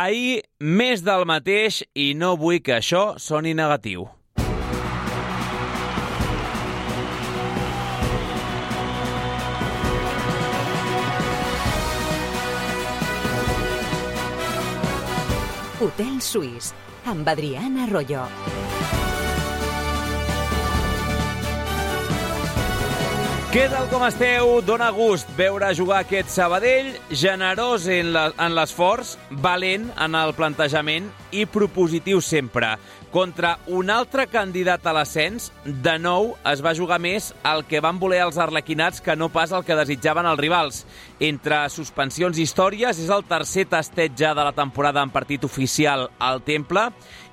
Ahir, més del mateix, i no vull que això soni negatiu. Hotel Suís, amb Adriana Arroyo. Què tal com esteu? Dóna gust veure jugar aquest Sabadell, generós en l'esforç, valent en el plantejament i propositiu sempre. Contra un altre candidat a l'ascens, de nou es va jugar més el que van voler els arlequinats que no pas el que desitjaven els rivals. Entre suspensions i històries, és el tercer tasteig de la temporada en partit oficial al Temple,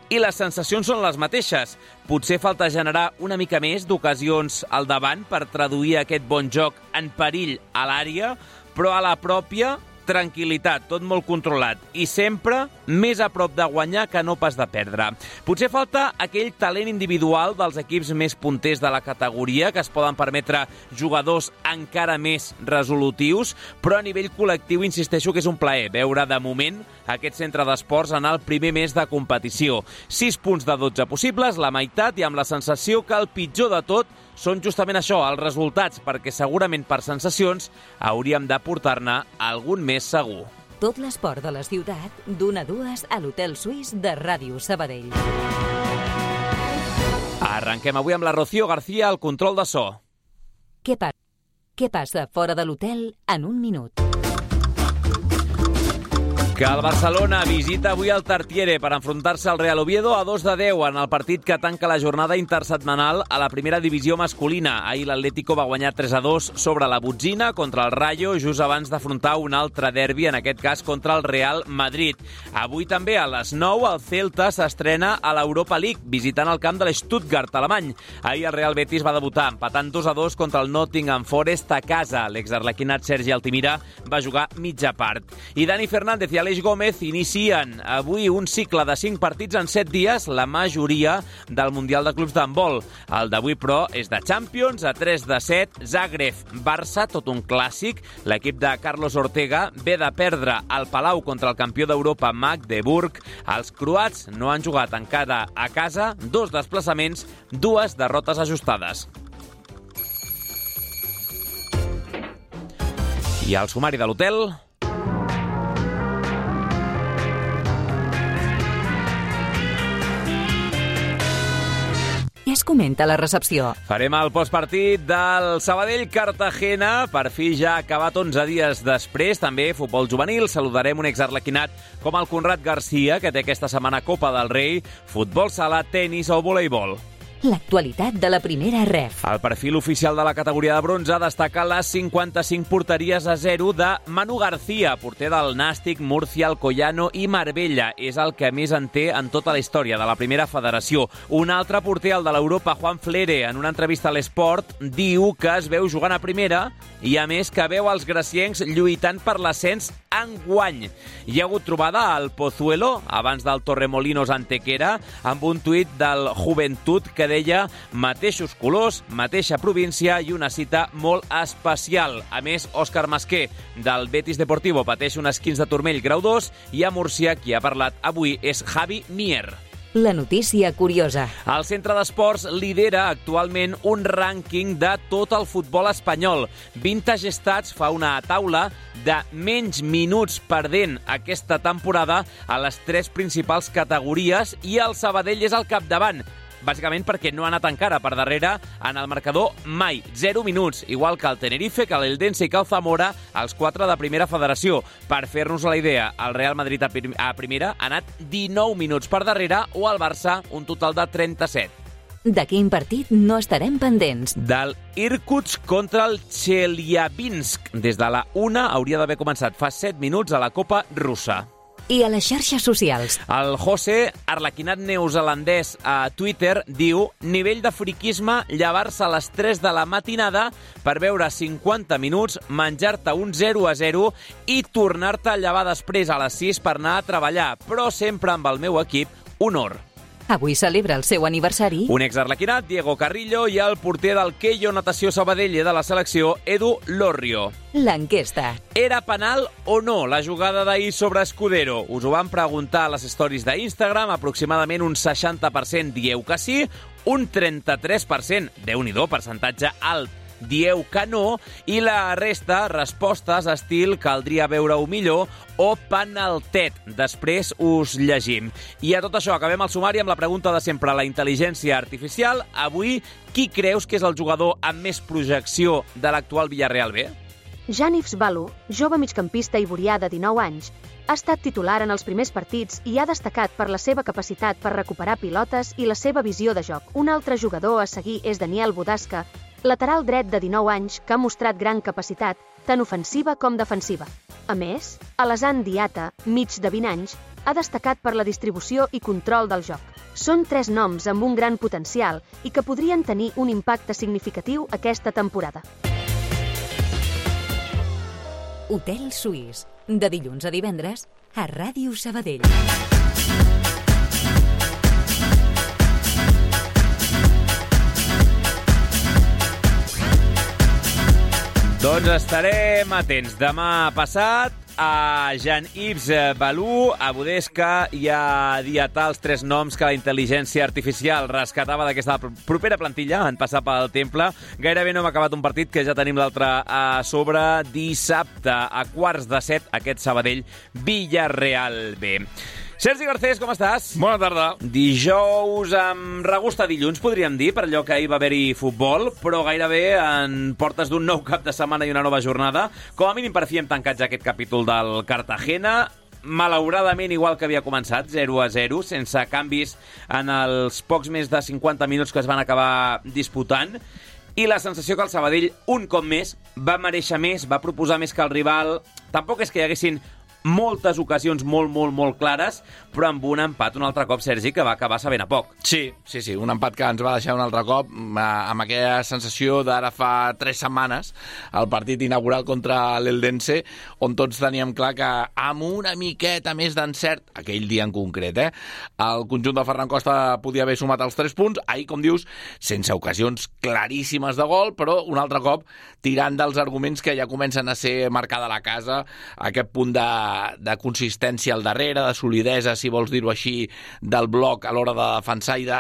i les sensacions són les mateixes. Potser falta generar una mica més d'ocasions al davant per traduir aquest bon joc en perill a l'àrea, però a la pròpia tranquil·litat, tot molt controlat i sempre més a prop de guanyar que no pas de perdre. Potser falta aquell talent individual dels equips més punters de la categoria que es poden permetre jugadors encara més resolutius, però a nivell col·lectiu insisteixo que és un plaer veure de moment aquest centre d'esports en el primer mes de competició. 6 punts de 12 possibles, la meitat, i amb la sensació que el pitjor de tot són justament això, els resultats, perquè segurament per sensacions hauríem de portar-ne algun més segur. Tot l'esport de la ciutat, d'1 a 2 a l'Hotel Suís de Ràdio Sabadell. Arrenquem avui amb la Rocío García al control de so. Què passa fora de l'hotel en un minut? Que el Barcelona visita avui el Tartiere per enfrontar-se al Real Oviedo a 2-10 en el partit que tanca la jornada intersetmanal a la primera divisió masculina. Ahir l'Atlético va guanyar 3-2 sobre la Botzina contra el Rayo just abans d'afrontar un altre derbi, en aquest cas contra el Real Madrid. Avui també a les 9 el Celta s'estrena a l'Europa League visitant el camp de l'Stuttgart alemany. Ahir el Real Betis va debutar empatant 2-2 contra el Nottingham Forest a casa. L'exarlequinat Sergi Altimira va jugar mitja part. I Dani Fernández i Aleix Gómez inicien avui un cicle de 5 partits en 7 dies, la majoria del Mundial de Clubs d'handbol. El d'avui, però, és de Champions, a 3-7, Zagreb-Barça, tot un clàssic. L'equip de Carlos Ortega ve de perdre al Palau contra el campió d'Europa Magdeburg. Els croats no han jugat encara a casa, 2 desplaçaments, 2 derrotes ajustades. I al sumari de l'hotel... Què es comenta a la recepció? Farem el postpartit del Sabadell-Cartagena. Per fi ja ha acabat 11 dies després. També futbol juvenil. Saludarem un exarlequinat com el Conrad Garcia, que té aquesta setmana Copa del Rei, futbol sala, tenis o voleibol. L'actualitat de la primera ref. El perfil oficial de la categoria de bronze destaca les 55 porteries a 0 de Manu García, porter del Nàstic, Múrcia, Alcoyano i Marbella. És el que més en té en tota la història de la primera federació. Un altre porter, el de l'Europa, Juan Flere, en una entrevista a l'Esport, diu que es veu jugant a primera i, a més, que veu els graciencs lluitant per l'ascens enguany. Hi ha hagut trobada al Pozuelo, abans del Torremolinos Antequera, amb un tuit del Joventut que deia mateixos colors, mateixa província i una cita molt especial. A més, Òscar Masqué, del Betis Deportivo, pateix un esquins de turmell grau 2 i a Múrcia qui ha parlat avui és Javi Mier. La notícia curiosa. El Centre d'Esports lidera actualment un rànquing de tot el futbol espanyol. Vintage Stats fa una taula de menys minuts perdent aquesta temporada a les 3 principals categories i el Sabadell és al capdavant. Bàsicament perquè no ha anat encara per darrere en el marcador mai. 0 minuts, igual que el Tenerife, que l'Eldense i que el Zamora, els 4 de primera federació. Per fer-nos la idea, el Real Madrid a primera ha anat 19 minuts per darrere o el Barça un total de 37. De quin partit no estarem pendents? Del Irkutsk contra el Chelyabinsk. Des de la 1 hauria d'haver començat fa 7 minuts a la Copa russa. I a les xarxes socials. El José, arlequinat neozelandès a Twitter, diu nivell de friquisme llevar-se a les 3 de la matinada per veure 50 minuts, menjar-te un 0-0 i tornar-te a llevar després a les 6 per anar a treballar, però sempre amb el meu equip, honor. Avui celebra el seu aniversari un exarlequinat, Diego Carrillo, i el porter del Keio Natació Sabadell i de la selecció, Edu Lorrio. l'enquesta. Era penal o no la jugada d'ahir sobre Escudero? Us ho van preguntar a les stories d'Instagram. Aproximadament un 60% dieu que sí, un 33%, Déu-n'hi-do, percentatge alt, dieu que no, i la resta, respostes estil caldria veure-ho millor o penaltet. Després us llegim. I a tot això acabem el sumari amb la pregunta de sempre, la intel·ligència artificial. Avui, qui creus que és el jugador amb més projecció de l'actual Villarreal B? Janifs Balu, jove migcampista ivorià de 19 anys, ha estat titular en els primers partits i ha destacat per la seva capacitat per recuperar pilotes i la seva visió de joc. Un altre jugador a seguir és Daniel Budasca, lateral dret de 19 anys que ha mostrat gran capacitat, tant ofensiva com defensiva. A més, Alassane Diatta, mig de 20 anys, ha destacat per la distribució i control del joc. Són 3 noms amb un gran potencial i que podrien tenir un impacte significatiu aquesta temporada. Hotel Suís, de dilluns a divendres, a Ràdio Sabadell. Doncs estarem atents demà passat a Jean-Yves Balou, a Budesca i a Diatta, els 3 noms que la intel·ligència artificial rescatava d'aquesta propera plantilla en passar pel Temple. Gairebé no hem acabat un partit que ja tenim l'altre a sobre. Dissabte a 6:45 aquest Sabadell Villarreal B. Sergi Garcés, com estàs? Bona tarda. Dijous amb regust a dilluns, podríem dir, per allò que ahir va haver-hi futbol, però gairebé en portes d'un nou cap de setmana i una nova jornada. Com a mínim per fi hem tancat ja aquest capítol del Cartagena, malauradament igual que havia començat, 0-0, sense canvis en els pocs més de 50 minuts que es van acabar disputant. I la sensació que el Sabadell, un cop més, va mereixer més, va proposar més que el rival. Tampoc és que hi haguessin moltes ocasions molt clares, però amb un empat un altre cop, Sergi, que va acabar sabent a poc. Sí, un empat que ens va deixar un altre cop amb aquella sensació d'ara fa 3 setmanes, el partit inaugural contra l'Eldense, on tots teníem clar que amb una miqueta més d'encert, aquell dia en concret, el conjunt de Ferran Costa podia haver sumat els 3 punts, ahir, com dius, sense ocasions claríssimes de gol, però un altre cop tirant dels arguments que ja comencen a ser marcada la casa, aquest punt de consistència al darrere, de solidesa, si vols dir-ho així, del bloc a l'hora de defensar i de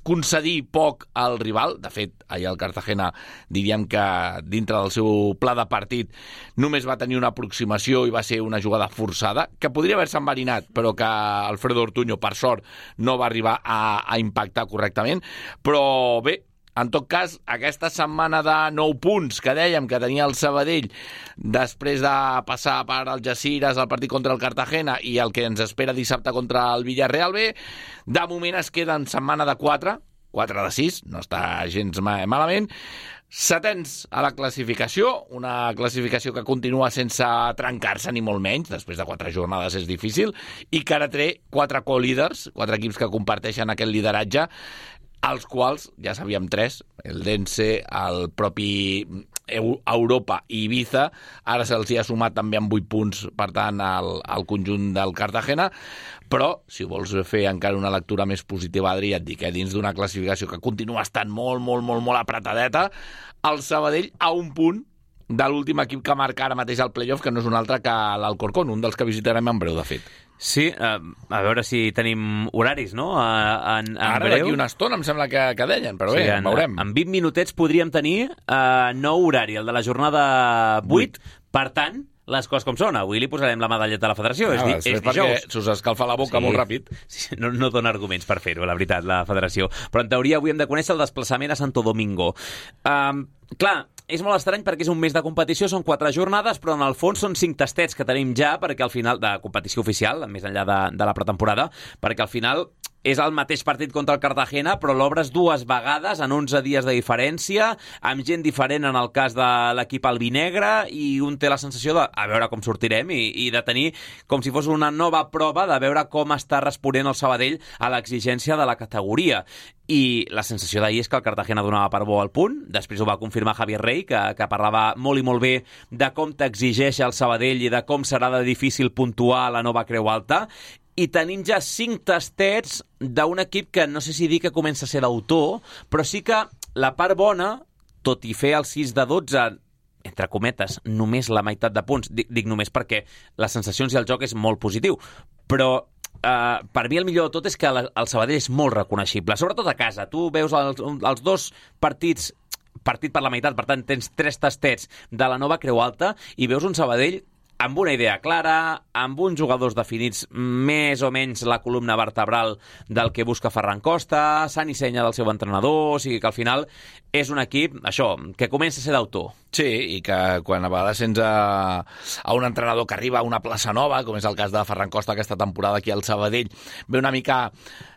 concedir poc al rival. De fet, ahir el Cartagena diríem que dintre del seu pla de partit només va tenir una aproximació i va ser una jugada forçada, que podria haver-se enverinat, però que Alfredo Ortuño, per sort, no va arribar a impactar correctament. Però bé, en tot cas, aquesta setmana de 9 punts que dèiem que tenia el Sabadell després de passar per Algeciras al partit contra el Cartagena i el que ens espera dissabte contra el Villarreal B, de moment es queda en setmana de 4 de 6, no està gens malament. 7ens a la classificació, una classificació que continua sense trencar-se ni molt menys, després de 4 jornades és difícil, i que ara té 4 co-líders, 4 equips que comparteixen aquest lideratge, els quals, ja sabíem 3, el Dense, el propi Europa i Ibiza, ara se'ls hi ha sumat també amb 8 punts, per tant, al conjunt del Cartagena, però, si vols fer encara una lectura més positiva, Adri, et dic, dins d'una classificació que continua estant molt apretadeta, el Sabadell a un punt de l'últim equip que marca ara mateix el playoff, que no és un altre que l'Alcorcón, un dels que visitarem en breu, de fet. Sí, a veure si tenim horaris, no? En ara, breu. d'aquí una estona, em sembla que deien, però bé, veurem. En 20 minutets podríem tenir nou horari, el de la jornada 8. Per tant, les coses com són. Avui li posarem la medalleta a la federació. És dijous. Perquè s'us escalfa la boca molt ràpid. Sí, no dona arguments per fer-ho, la veritat, la federació. Però en teoria avui hem de conèixer el desplaçament a Santo Domingo. Clar, és molt estrany perquè és un mes de competició, són 4 jornades, però en el fons són 5 tastets que tenim ja, perquè al final, de competició oficial, més enllà de la pretemporada, perquè al final és el mateix partit contra el Cartagena, però l'obres 2 vegades en 11 dies de diferència, amb gent diferent en el cas de l'equip albinegre, i un té la sensació de a veure com sortirem i de tenir com si fos una nova prova de veure com està responent el Sabadell a l'exigència de la categoria. I la sensació d'ahir és que el Cartagena donava per bo al punt, després ho va confirmar Javier Rey, que parlava molt i molt bé de com t'exigeix el Sabadell i de com serà de difícil puntuar a la nova Creu Alta, i tenim ja 5 tastets d'un equip que no sé si dir que comença a ser d'autor, però sí que la part bona, tot i fer el 6 de 12, entre cometes, només la meitat de punts, dic només perquè les sensacions i el joc és molt positiu, però per mi el millor de tot és que el Sabadell és molt reconeixible, sobretot a casa. Tu veus els dos partits, partit per la meitat, per tant tens 3 tastets de la nova Creu Alta i veus un Sabadell amb una idea clara, amb uns jugadors definits més o menys la columna vertebral del que busca Ferran Costa, Sant i senya del seu entrenador, o sigui que al final és un equip, això, que comença a ser d'autor. Sí, i que quan a vegades sents a un entrenador que arriba a una plaça nova, com és el cas de Ferran Costa aquesta temporada aquí al Sabadell, ve una mica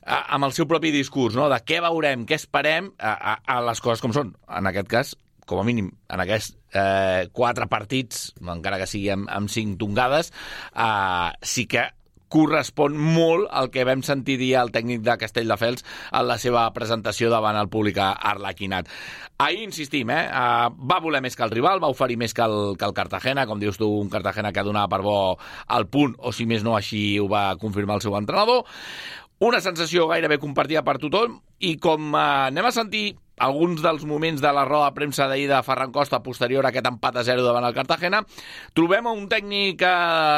amb el seu propi discurs, no?, de què veurem, què esperem, a les coses com són. En aquest cas, com a mínim, en aquests 4 partits, encara que sigui amb 5 tongades, sí que correspon molt al que vam sentir dir el tècnic de Castelldefels en la seva presentació davant el públic arlequinat. Ahir insistim, va voler més que el rival, va oferir més que el Cartagena, com dius tu, un Cartagena que donava per bo el punt, o si més no, així ho va confirmar el seu entrenador. Una sensació gairebé compartida per tothom, i com anem a sentir alguns dels moments de la roda de premsa d'ahir de Ferran Costa posterior a aquest empat a 0 davant el Cartagena, trobem un tècnic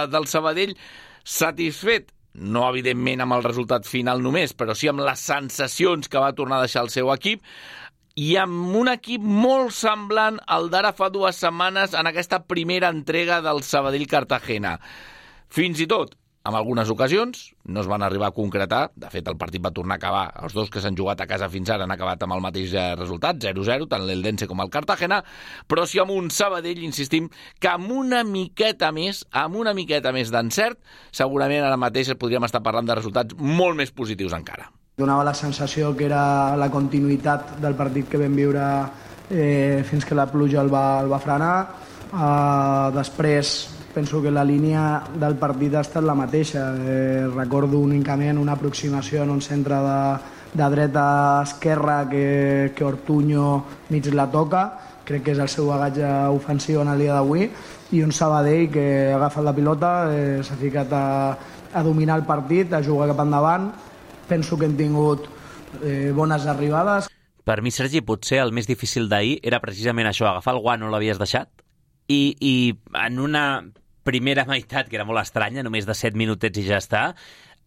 del Sabadell satisfet, no evidentment amb el resultat final només, però sí amb les sensacions que va tornar a deixar el seu equip, i amb un equip molt semblant al d'ara fa 2 setmanes en aquesta primera entrega del Sabadell-Cartagena. Fins i tot, en algunes ocasions, no es van arribar a concretar. De fet, el partit va tornar a acabar. Els dos que s'han jugat a casa fins ara han acabat amb el mateix resultat, 0-0, tant l'Eldense com el Cartagena, però sí amb un Sabadell, insistim, que amb una miqueta més d'encert, segurament ara mateix podríem estar parlant de resultats molt més positius encara. Donava la sensació que era la continuïtat del partit que vam viure fins que la pluja el va frenar. Després penso que la línia del partit ha estat la mateixa. Recordo únicament una aproximació en un centre de dreta a esquerra que Ortuño mig la toca. Crec que és el seu bagatge ofensiu en el dia d'avui. I un Sabadell que ha agafat la pilota, s'ha ficat a dominar el partit, a jugar cap endavant. Penso que hem tingut bones arribades. Per mi, Sergi, potser el més difícil d'ahir era precisament això, agafar el guant on l'havies deixat i en una primera meitat, que era molt estranya, només de 7 minutets i ja està,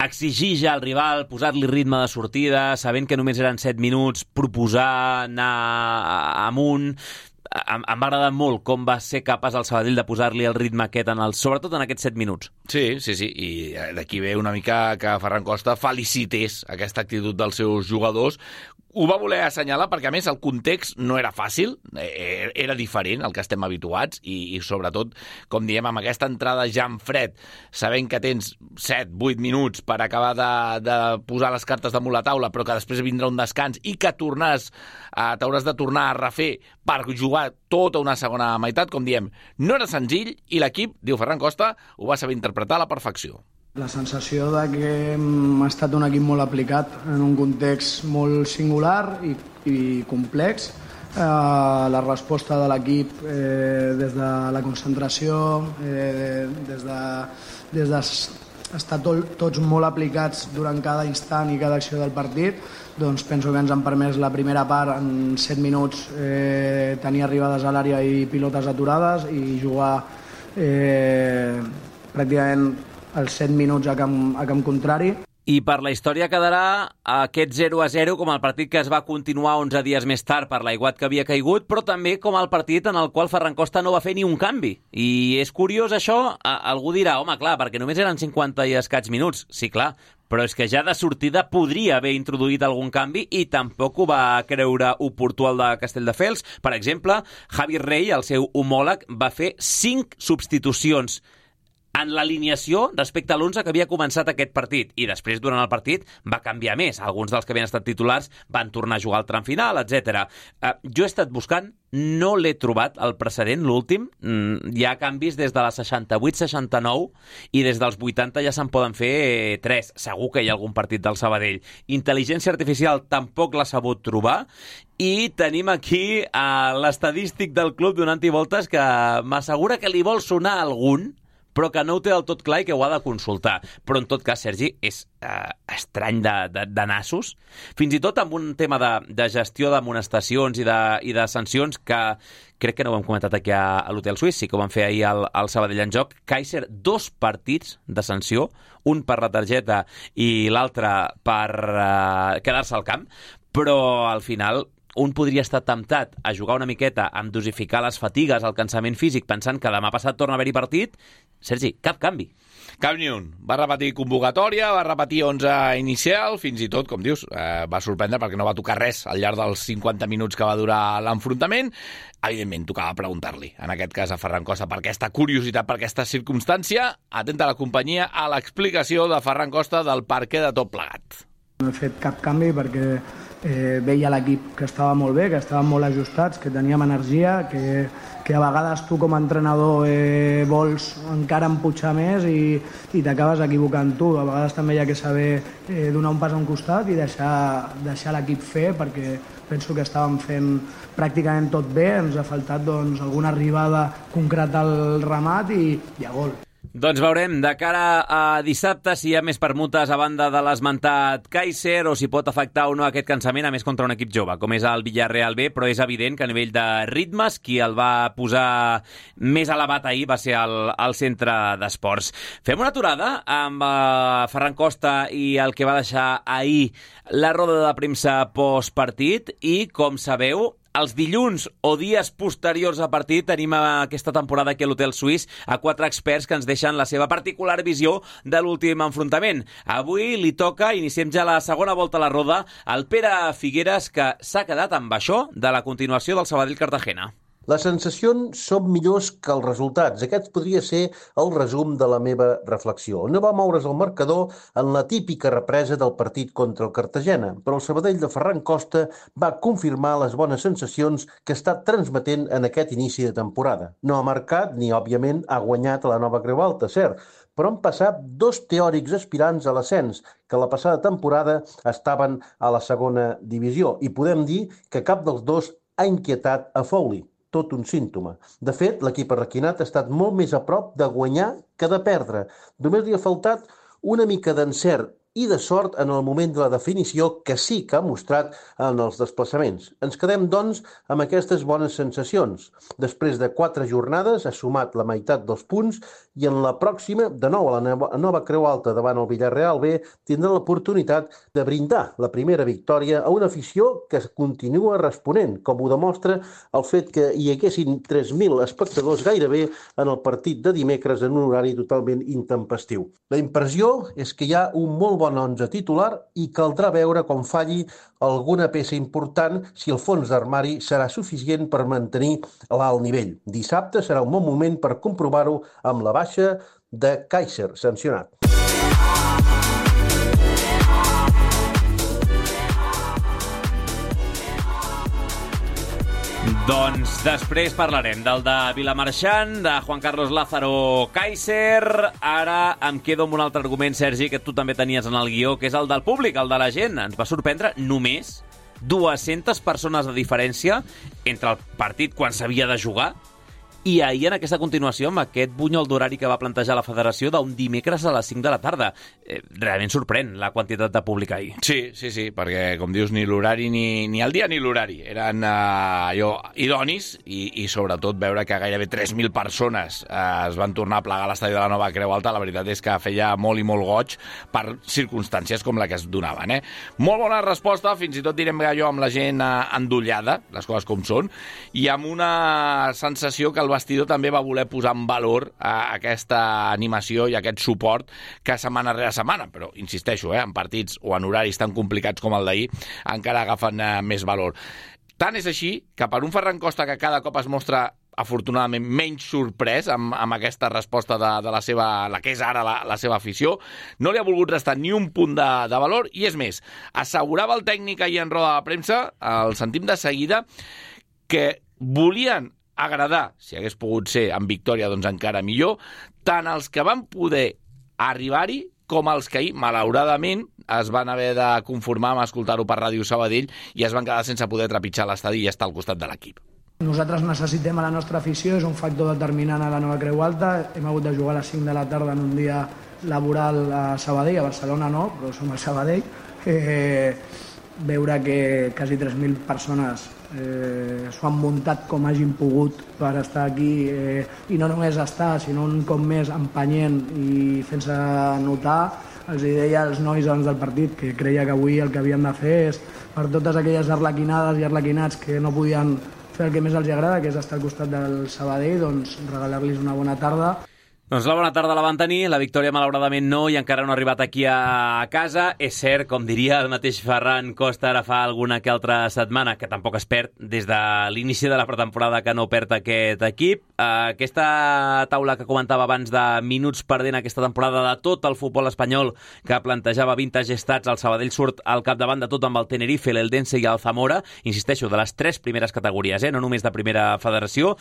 exigir ja al rival, posar-li ritme de sortida, sabent que només eren 7 minuts, proposar, anar amunt. Em va agradar molt com va ser capaç el Sabadell de posar-li el ritme aquest, sobretot en aquests 7 minuts. Sí, i d'aquí ve una mica que Ferran Costa felicités aquesta actitud dels seus jugadors. Ho va voler assenyalar perquè, a més, el context no era fàcil, era diferent al que estem habituats i sobretot, com diem, amb aquesta entrada ja en fred, sabent que tens 7-8 minuts per acabar de posar les cartes damunt la taula, però que després vindrà un descans i que t'hauràs de tornar a refer per jugar tota una segona meitat, com diem, no era senzill i l'equip, diu Ferran Costa, ho va saber interpretar a la perfecció. La sensació de que hem estat un equip molt aplicat en un context molt singular i complex. La resposta de l'equip des de la concentració, des d'estar tots molt aplicats durant cada instant i cada acció del partit, doncs penso que ens han permès la primera part en 7 minuts tenir arribades a l'àrea i pilotes aturades i jugar pràcticament els 7 minuts a camp contrari. I per la història quedarà aquest 0-0 com el partit que es va continuar 11 dies més tard per l'aiguat que havia caigut, però també com el partit en el qual Ferran Costa no va fer ni un canvi. I és curiós això, algú dirà, home, clar, perquè només eren 50 i escaig minuts. Sí, clar, però és que ja de sortida podria haver introduït algun canvi i tampoc ho va creure oportú el de Castelldefels. Per exemple, Javi Rey, el seu homòleg, va fer 5 substitucions en l'alineació respecte a l'11 que havia començat aquest partit, i després durant el partit va canviar més. Alguns dels que havien estat titulars van tornar a jugar al tram final, etc. Jo he estat buscant, no l'he trobat, el precedent, l'últim. Hi ha canvis des de la 68-69 i des dels 80 ja se'n poden fer 3. Segur que hi ha algun partit del Sabadell. Intel·ligència artificial tampoc l'ha sabut trobar, i tenim aquí l'estadístic del club donant-hi voltes que m'assegura que li vol sonar algun, però que no ho té del tot clar i que ho ha de consultar. Però en tot cas, Sergi, és estrany de nassos, fins i tot amb un tema de gestió d'amonestacions i de sancions que crec que no ho hem comentat aquí a l'Hotel Suís, sí que ho van fer ahir al Sabadell en Joc. Kaiser, 2 partits de sanció, un per la targeta i l'altre per quedar-se al camp, però al final un podria estar temptat a jugar una miqueta amb dosificar les fatigues, el cansament físic, pensant que demà passat torna a haver-hi partit. Sergi, cap canvi. Cap ni un. Va repetir convocatòria, va repetir 11 inicial, fins i tot, com dius, va sorprendre perquè no va tocar res al llarg dels 50 minuts que va durar l'enfrontament. Evidentment, tocava preguntar-li, en aquest cas a Ferran Costa, per aquesta curiositat, per aquesta circumstància. Atenta a la companyia a l'explicació de Ferran Costa del perquè de tot plegat. No he fet cap canvi perquè veia l'equip que estava molt bé, que estàvem molt ajustats, que teníem energia, que a vegades tu com a entrenador vols encara empujar més i t'acabes equivocant tu. A vegades també hi ha que saber donar un pas a un costat i deixar l'equip fer, perquè penso que estàvem fent pràcticament tot bé, ens ha faltat alguna arribada concreta al remat i a gol. Doncs veurem de cara a dissabte si hi ha més permutes a banda de l'esmentat Kaiser o si pot afectar o no aquest cansament, a més contra un equip jove, com és el Villarreal B, però és evident que a nivell de ritmes qui el va posar més elevat ahir va ser el centre d'esports. Fem una aturada amb Ferran Costa i el que va deixar ahir la roda de premsa postpartit i, com sabeu, els dilluns o dies posteriors a partit tenim aquesta temporada aquí a l'Hotel Suís a 4 experts que ens deixen la seva particular visió de l'últim enfrontament. Avui li toca, iniciem ja la segona volta a la roda, al Pere Figueres, que s'ha quedat amb això de la continuació del Sabadell-Cartagena. Les sensacions són millors que els resultats. Aquest podria ser el resum de la meva reflexió. No va moure's el marcador en la típica represa del partit contra el Cartagena, però el Sabadell de Ferran Costa va confirmar les bones sensacions que està transmetent en aquest inici de temporada. No ha marcat ni, òbviament, ha guanyat a la Nova Creu Alta, cert, però han passat 2 teòrics aspirants a l'ascens que la passada temporada estaven a la segona divisió i podem dir que cap dels dos ha inquietat a Foley. Tot un símptoma. De fet, l'equip arraquinat ha estat molt més a prop de guanyar que de perdre. Només li ha faltat una mica d'encert i de sort en el moment de la definició que sí que ha mostrat en els desplaçaments. Ens quedem, doncs, amb aquestes bones sensacions. Després de 4 jornades ha sumat la meitat dels punts i en la pròxima, de nou a la Nova Creu Alta davant el Villarreal B, tindrà l'oportunitat de brindar la primera victòria a una afició que continua responent, com ho demostra el fet que hi haguessin 3.000 espectadors gairebé en el partit de dimecres en un horari totalment intempestiu. La impressió és que hi ha un molt bon 11 titular i caldrà veure com falli alguna peça important si el fons d'armari serà suficient per mantenir l'alt nivell. Dissabte serà un bon moment per comprovar-ho amb la baixa de Kaiser, sancionat. Doncs després parlarem del de Vilamarxant, de Juan Carlos Lázaro Kaiser. Ara em quedo amb un altre argument, Sergi, que tu també tenies en el guió, que és el del públic, el de la gent. Ens va sorprendre només 200 persones de diferència entre el partit quan s'havia de jugar i ahir en aquesta continuació amb aquest bunyol d'horari que va plantejar la federació d'un dimecres a les 5 de la tarda. Realment sorprèn la quantitat de públic ahir. Sí, perquè com dius ni l'horari ni el dia ni l'horari eren idonis i sobretot veure que gairebé 3.000 persones es van tornar a plegar a l'estadi de la Nova Creu Alta, la veritat és que feia molt i molt goig per circumstàncies com la que es donaven. Molt bona resposta, fins i tot direm allò amb la gent endollada, les coses com són, i amb una sensació que el vestidor també va voler posar en valor aquesta animació i aquest suport que setmana rere setmana, però insisteixo, en partits o en horaris tan complicats com el d'ahir encara agafen més valor. Tant és així que per un Ferran Costa que cada cop es mostra afortunadament menys sorprès amb aquesta resposta de la seva, la que és ara la seva afició, no li ha volgut restar ni un punt de valor i és més, assegurava el tècnic ahir en roda de premsa, el sentim de seguida, que volien agradar, si hagués pogut ser en victòria, doncs encara millor, tant els que van poder arribar-hi com els que ahir, malauradament, es van haver de conformar amb escoltar-ho per Ràdio Sabadell i es van quedar sense poder trepitjar l'estadi i estar al costat de l'equip. Nosaltres necessitem a la nostra afició, és un factor determinant a la Nova Creu Alta. Hem hagut de jugar a les 5 de la tarda en un dia laboral a Sabadell, a Barcelona no, però som a Sabadell. Veure que quasi 3.000 persones s'ho han muntat com hagin pogut per estar aquí, i no només estar, sinó un cop més empenyent i fent-se notar. Els deia als nois abans del partit que creia que avui el que havien de fer és, per totes aquelles arlequinades i arlequinats que no podien fer el que més els agrada, que és estar al costat del Sabadell, doncs regalar-los una bona tarda. Doncs la bona tarda la van tenir, la victòria malauradament no, i encara no ha arribat aquí a casa. És cert, com diria el mateix Ferran Costa ara fa alguna que altra setmana, que tampoc es perd des de l'inici de la pretemporada que no perd aquest equip. Aquesta taula que comentava abans de minuts perdent aquesta temporada de tot el futbol espanyol que plantejava Vintage Stats, el Sabadell surt al capdavant de tot amb el Tenerife, l'Eldense i el Zamora, insisteixo, de les 3 primeres categories, no només de primera federació.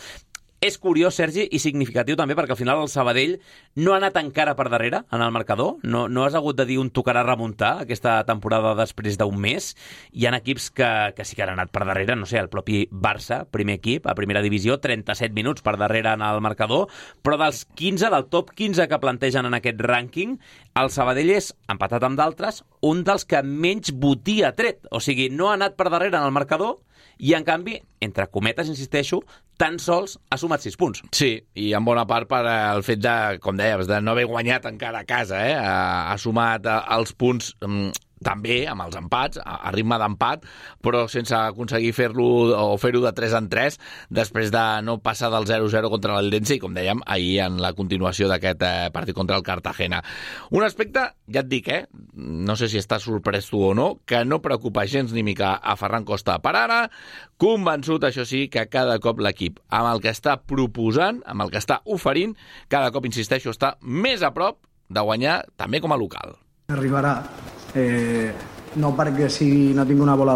És curiós, Sergi, i significatiu també, perquè al final el Sabadell no ha anat encara per darrere en el marcador. No has hagut de dir un tocarà remuntar aquesta temporada després d'un mes. Hi ha equips que sí que han anat per darrere, no sé, el propi Barça, primer equip, a primera divisió, 37 minuts per darrere en el marcador, però dels 15, del top 15 que plantegen en aquest rànquing, el Sabadell és, empatat amb d'altres, un dels que menys botí ha tret. O sigui, no ha anat per darrere en el marcador, i en canvi, entre cometes, insisteixo, tan sols ha sumat 6 punts. Sí, i en bona part per el fet de, com deies, de no haver guanyat encara a casa, ha sumat els punts també amb els empats, a ritme d'empat, però sense aconseguir fer-lo o fer-ho de 3 en 3, després de no passar del 0-0 contra l'Eldense i, com dèiem, ahir en la continuació d'aquest partit contra el Cartagena. Un aspecte, ja et dic, no sé si estàs sorprès tu o no, que no preocupa gens ni mica a Ferran Costa per ara, convençut, això sí, que cada cop l'equip, amb el que està proposant, amb el que està oferint, cada cop, insisteixo, està més a prop de guanyar també com a local. Arribarà. No perquè no tinc una bola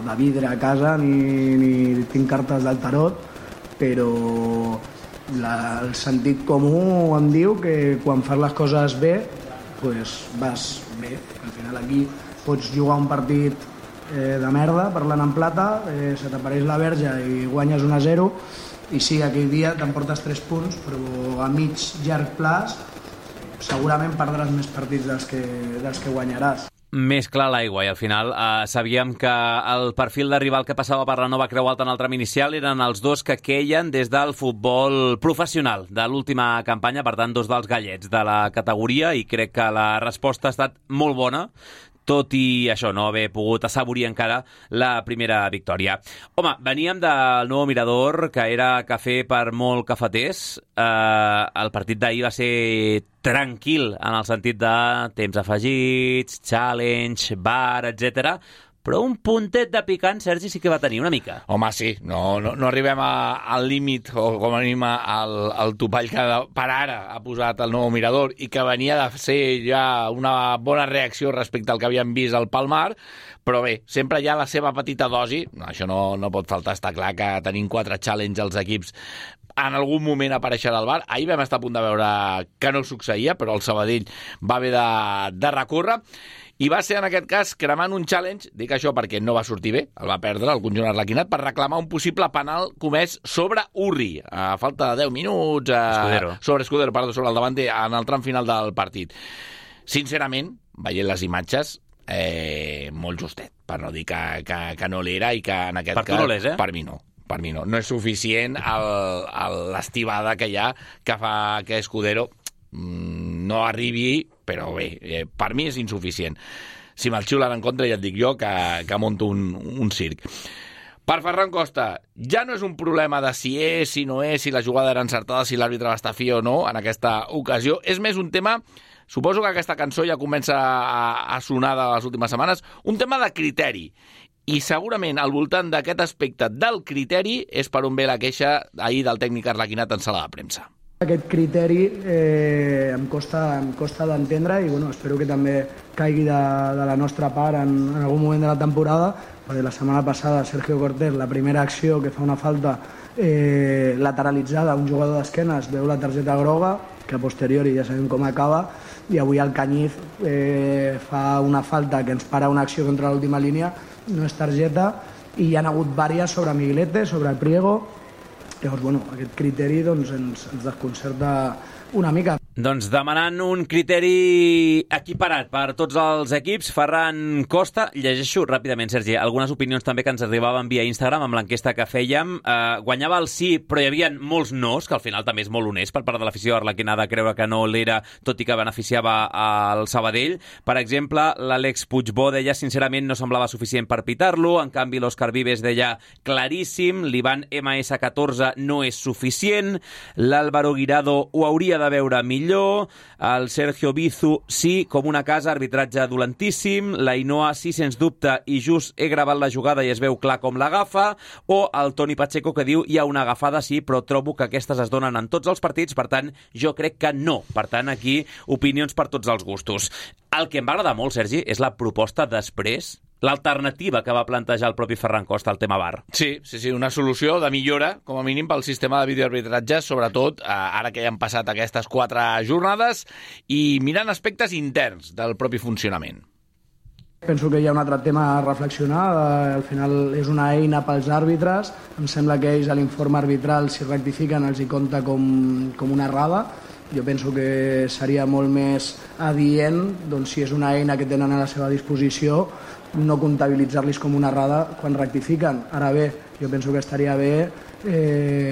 de vidre a casa ni tinc cartes del tarot, però el sentit comú em diu que quan fas les coses bé pues vas bé. Al final aquí pots jugar un partit de merda, parlant en plata, se t'apareix la verge i guanyes 1-0, i sí, aquell dia t'emportes 3 punts, però a mig llarg plaç segurament perdràs més partits dels que guanyaràs. Més clar l'aigua, i al final sabíem que el perfil de rival que passava per la Nova Creu Alta en el tram inicial eren els dos que queien des del futbol professional de l'última campanya, per tant, dos dels gallets de la categoria, i crec que la resposta ha estat molt bona, tot i això, no haver pogut assaborir encara la primera victòria. Home, veníem del Nou Mirador, que era cafè per molt cafeters. El partit d'ahir va ser tranquil en el sentit de temps afegits, challenge, bar, etc. Però un puntet de picant, Sergi, sí que va tenir una mica. Home, sí, no arribem al límit, o com a mínim al topall que per ara ha posat el Nou Mirador i que venia de ser ja una bona reacció respecte al que havíem vist al Palmar, però bé, sempre hi ha la seva petita dosi, això no pot faltar, està clar que tenim 4 challenge als equips en algun moment apareixerà al bar. Ahir vam estar a punt de veure que no succeïa, però el Sabadell va haver de recórrer. I va ser, en aquest cas, cremant un challenge, dic això perquè no va sortir bé, el va perdre el conjunt arlequinat, per reclamar un possible penal comès sobre Urri, a falta de 10 minuts, sobre el davanter, en el tram final del partit. Sincerament, veient les imatges, molt justet, per no dir que no l'era, i que en aquest cas... Per tu no l'és, Per mi no. Per mi no. No és suficient l'estivada que hi ha que fa que Escudero no arribi, però bé, per mi és insuficient. Si me'l xiulen en contra, ja et dic jo que monto un circ. Per Ferran Costa, ja no és un problema de si és, si no és, si la jugada era encertada, si l'àrbitre va estar fi o no en aquesta ocasió. És més un tema, suposo que aquesta cançó ja comença a sonar de les últimes setmanes, un tema de criteri. I segurament al voltant d'aquest aspecte del criteri és per on ve la queixa ahir del tècnic arlequinat en sala de premsa. Aquest criteri em costa d'entendre, i bueno, espero que també caigui de la nostra part en algun moment de la temporada, perquè la setmana passada Sergio Cortés, la primera acció que fa una falta lateralitzada, un jugador d'esquenes veu la targeta groga, que a posteriori ja sabem com acaba, i avui el Cañiz fa una falta que ens para una acció contra l'última línia, no és targeta, i hi ha hagut vàries sobre Miguelete, sobre Priego. Llavors, bueno, aquest criteri doncs, ens desconcerta una mica. Doncs demanant un criteri equiparat per tots els equips, Ferran Costa, llegeixo ràpidament, Sergi, algunes opinions també que ens arribaven via Instagram amb l'enquesta que fèiem. Guanyava el sí, però hi havia molts nos, que al final també és molt honest per part de l'afició arlequina de creure que no l'era, tot i que beneficiava el Sabadell. Per exemple, l'Àlex Puigbó deia, sincerament, no semblava suficient per pitar-lo, en canvi l'Òscar Vives deia, claríssim, l'Ivan MS14 no és suficient, l'Álvaro Guirado ho hauria de veure millor, el Sergio Bizu sí, com una casa, arbitratge dolentíssim, la Ainhoa sí, sens dubte, i just he gravat la jugada i es veu clar com l'agafa, o el Toni Pacheco que diu hi ha una agafada sí, però trobo que aquestes es donen en tots els partits, per tant, jo crec que no. Per tant, aquí, opinions per tots els gustos. El que em va agradar molt, Sergi, és la proposta després, l'alternativa que va plantejar el propi Ferran Costa al tema VAR. Sí, una solució de millora, com a mínim, pel sistema de videoarbitratge, sobretot ara que ja han passat aquestes 4 jornades, i mirant aspectes interns del propi funcionament. Penso que hi ha un altre tema a reflexionar. Al final és una eina pels àrbitres. Em sembla que ells a l'informe arbitral, si rectifiquen, els hi compta com una errada. Jo penso que seria molt més adient, doncs, si és una eina que tenen a la seva disposició, no comptabilitzar-los com una errada quan rectifiquen. Ara bé, jo penso que estaria bé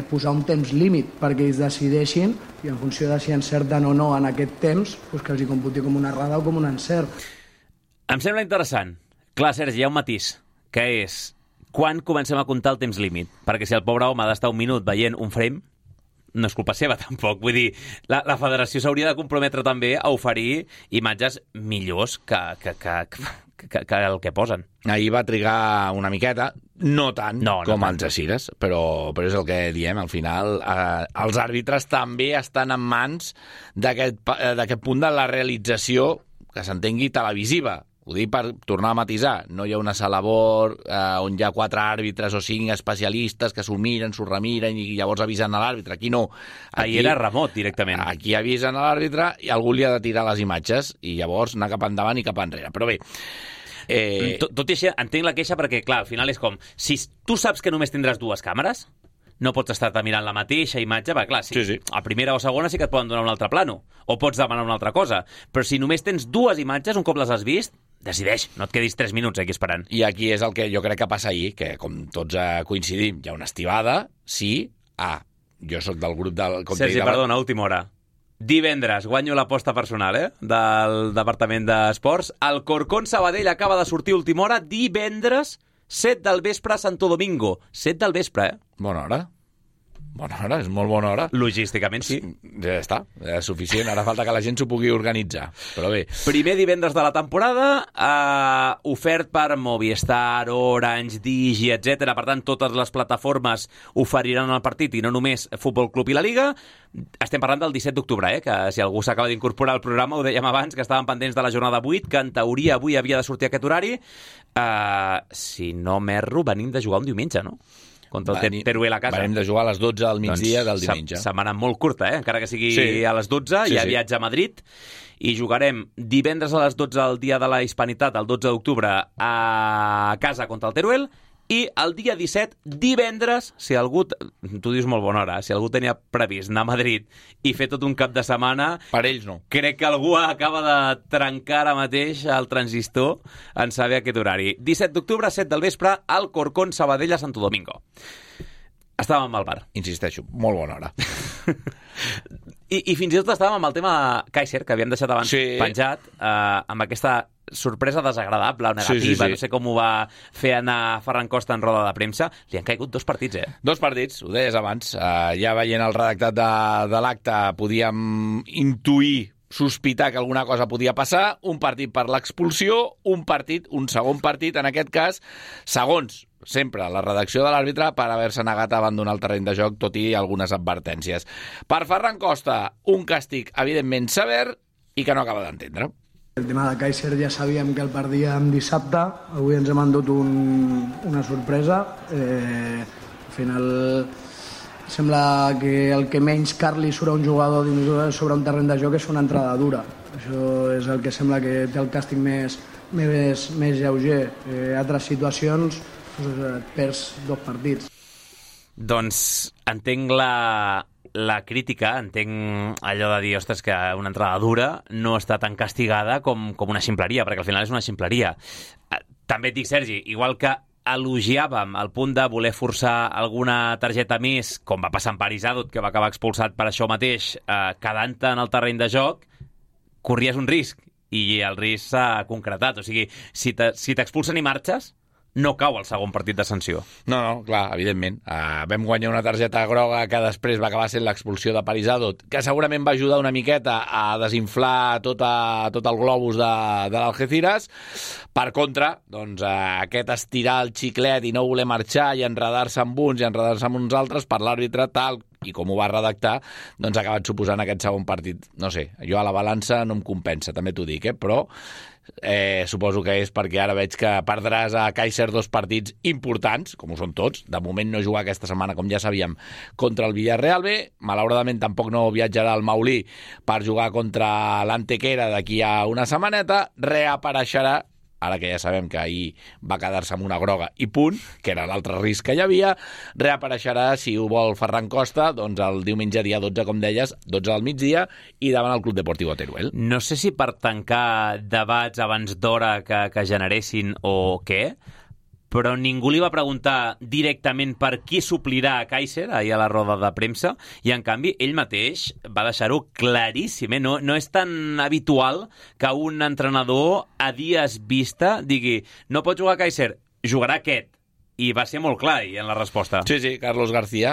posar un temps límit perquè ells decideixin, i en funció de si encerten o no en aquest temps, doncs que els hi computi com una errada o com un encert. Em sembla interessant. Clar, Sergi, hi ha un matís, que és quan comencem a comptar el temps límit? Perquè si el pobre home ha d'estar un minut veient un frame, no és culpa seva, tampoc. Vull dir, la federació s'hauria de comprometre també a oferir imatges millors que el que posen. Ahir va trigar una miqueta, no tant com els Algesires, però és el que diem, al final els àrbitres també estan en mans d'aquest punt de la realització, que s'entengui, televisiva. Ho dic per tornar a matisar. No hi ha una sala BOR on hi ha 4 àrbitres o 5 especialistes que s'ho miren, s'ho remiren i llavors avisen a l'àrbitre. Aquí no. Aquí era remot, directament. Aquí avisen a l'àrbitre i algú li ha de tirar les imatges i llavors anar cap endavant i cap enrere. Però bé... Tot i així, entenc la queixa perquè, clar, al final és com... Si tu saps que només tindràs 2 càmeres, no pots estar-te mirant la mateixa imatge, perquè clar, sí. A primera o segona sí que et poden donar un altre plano, o pots demanar una altra cosa, però si només tens 2 imatges, un cop les has vist, decideix, no et quedis 3 minuts aquí esperant. I aquí és el que jo crec que passa ahir, que com tots coincidim, hi ha una estivada, sí, jo sóc del grup del... Sergi, perdona, última hora. Divendres guanyo l'aposta personal, del Departament d'Esports. El Corcón Sabadell acaba de sortir última hora, divendres, 7 del vespre a Santo Domingo. 7 del vespre, Bona hora. Bona hora, és molt bona hora. Logísticament, sí. Ja està, és suficient. Ara falta que la gent s'ho pugui organitzar. Però bé. Primer divendres de la temporada, ofert per Movistar, Orange, Digi, etc. Per tant, totes les plataformes oferiran el partit i no només Futbol Club i la Liga. Estem parlant del 17 d'octubre, que si algú s'acaba d'incorporar al programa, ho dèiem abans, que estàvem pendents de la jornada 8, que en teoria avui havia de sortir aquest horari. Si no m'erro, venim de jugar un diumenge, no? Contra el Teruel a casa. Venim de jugar a les 12 al migdia del diumenge. Setmana molt curta, encara que sigui a les 12, hi ha viatge a Madrid, i jugarem divendres a les 12 el dia de la Hispanitat, el 12 d'octubre, a casa contra el Teruel, i el dia 17, divendres, si algú... Tu dius molt bona hora, si algú tenia previst anar a Madrid i fer tot un cap de setmana... Per ells no. Crec que algú acaba de trencar ara mateix el transistor en saber aquest horari. 17 d'octubre, 7 del vespre, al Corcón Sabadell a Santo Domingo. Estàvem al bar. Insisteixo, molt bona hora. I fins i tot estàvem amb el tema Kaiser, que havíem deixat abans penjat, amb aquesta sorpresa desagradable o negativa, no sé com ho va fer anar Ferran Costa en roda de premsa. Li han caigut 2 partits, 2 partits, ho deies abans. Ja veient el redactat de l'acte podíem intuir, sospitar que alguna cosa podia passar. Un partit per l'expulsió, un segon partit, en aquest cas, segons sempre la redacció de l'àrbitre, per haver-se negat a abandonar el terreny de joc, tot i algunes advertències. Per Ferran Costa, un càstig evidentment sever i que no acaba d'entendre. El tema de Kaiser ja sabíem que el perdíem dissabte, avui ens hem endut una sorpresa. Al final sembla que el que menys car li surt a un jugador sobre un terreny de joc és una entrada dura. Això és el que sembla que té el càstig més lleuger. Altres situacions et perds 2 partits. Doncs entenc la crítica, entenc allò de dir, ostres, que una entrada dura no està tan castigada com una ximpleria, perquè al final és una ximpleria. També et dic, Sergi, igual que elogiàvem el punt de voler forçar alguna targeta més, com va passar amb Paris Adot, que va acabar expulsat per això mateix, quedant-te en el terreny de joc, corries un risc, i el risc s'ha concretat. O sigui, si t'expulsen i marxes, no cau el segon partit de sanció. No, clar, evidentment. Vam guanyar una targeta groga que després va acabar sent l'expulsió de Paris Adot, que segurament va ajudar una miqueta a desinflar tot el globus de l'Algeciras. Per contra, doncs, aquest estirar el xiclet i no voler marxar i enredar-se amb uns i enredar-se amb uns altres per l'àrbitre, tal i com ho va redactar, doncs ha acabat suposant aquest segon partit. No sé, jo a la balança no em compensa, també t'ho dic, però suposo que és perquè ara veig que perdràs a Kaiser 2 partits importants, com ho són tots. De moment no jugar aquesta setmana, com ja sabíem, contra el Villarreal B. Malauradament tampoc no viatjarà al Maulí per jugar contra l'Antequera d'aquí a una setmaneta. Reapareixerà, ara que ja sabem que ahir va quedar-se amb una groga i punt, que era l'altre risc que hi havia, reapareixerà, si ho vol Ferran Costa, doncs el diumenge dia 12, com deies, 12 del migdia, i davant el Club Deportiu Teruel. No sé si per tancar debats abans d'hora que generessin o què, però ningú li va preguntar directament per qui suplirà a Kaiser ahir a la roda de premsa, i en canvi ell mateix va deixar-ho claríssim. No és tan habitual que un entrenador a dies vista digui no pot jugar a Kaiser, jugarà aquest. I va ser molt clar en la resposta. Sí, Carlos García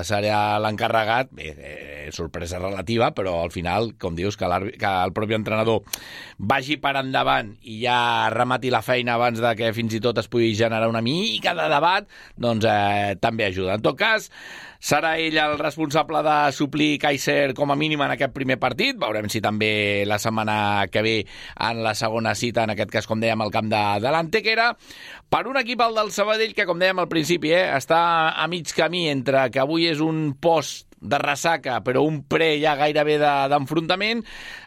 serà l'encarregat. Bé, sorpresa relativa, però al final, com dius, que el propi entrenador vagi per endavant i ja remati la feina abans de que fins i tot es pugui generar una mica de debat, doncs també ajuda. En tot cas, serà ell el responsable de suplir Kaiser com a mínim en aquest primer partit. Veurem si també la setmana que ve en la segona cita, en aquest cas, com dèiem, al camp de l'Antequera. Per un equip, el del Sabadell, que, com dèiem al principi, està a mig camí entre que avui és un post de ressaca, però un pre ja gairebé d'enfrontament.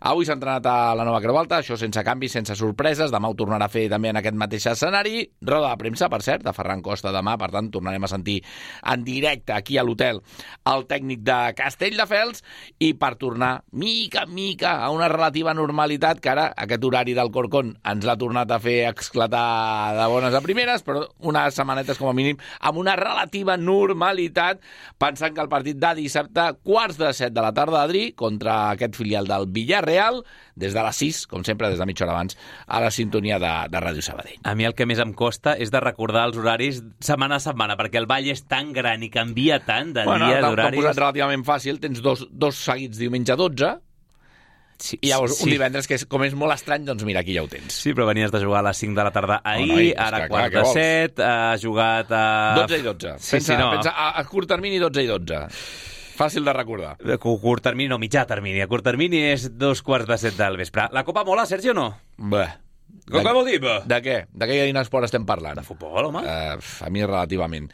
Avui s'ha entrenat a la Nova Creu Alta, això sense canvis, sense sorpreses. Demà ho tornarà a fer també en aquest mateix escenari. Roda de premsa, per cert, de Ferran Costa demà, per tant tornarem a sentir en directe aquí a l'hotel el tècnic de Castelldefels, i per tornar mica en mica a una relativa normalitat, que ara aquest horari del Corcón ens l'ha tornat a fer esclatar de bones a primeres, però unes setmanetes com a mínim amb una relativa normalitat, pensant que el partit de dissabte, 6:45 de la tarda, Adri, contra aquest filial del Villarreal, des de les 6, com sempre, des de mitja hora abans, a la sintonia de Ràdio Sabadell. A mi el que més em costa és de recordar els horaris setmana a setmana, perquè el ball és tan gran i canvia tant de dies, d'horaris. T'ho posat relativament fàcil, tens dos seguits diumenge 12, sí, i llavors un divendres, que com és molt estrany, doncs mira, aquí ja ho tens. Sí, però venies de jugar a les 5 de la tarda ahir, ara a 4:07, has jugat a... 12 i 12. Pensa a curt termini 12 i 12. Fàcil de recordar. A curt termini, no, mitjà termini. A curt termini és 2:45 del vespre. La Copa mola, Sergi, o no? Bé. Què vol dir, bé? De què? De què esport estem parlant? De futbol, home. A mi relativament.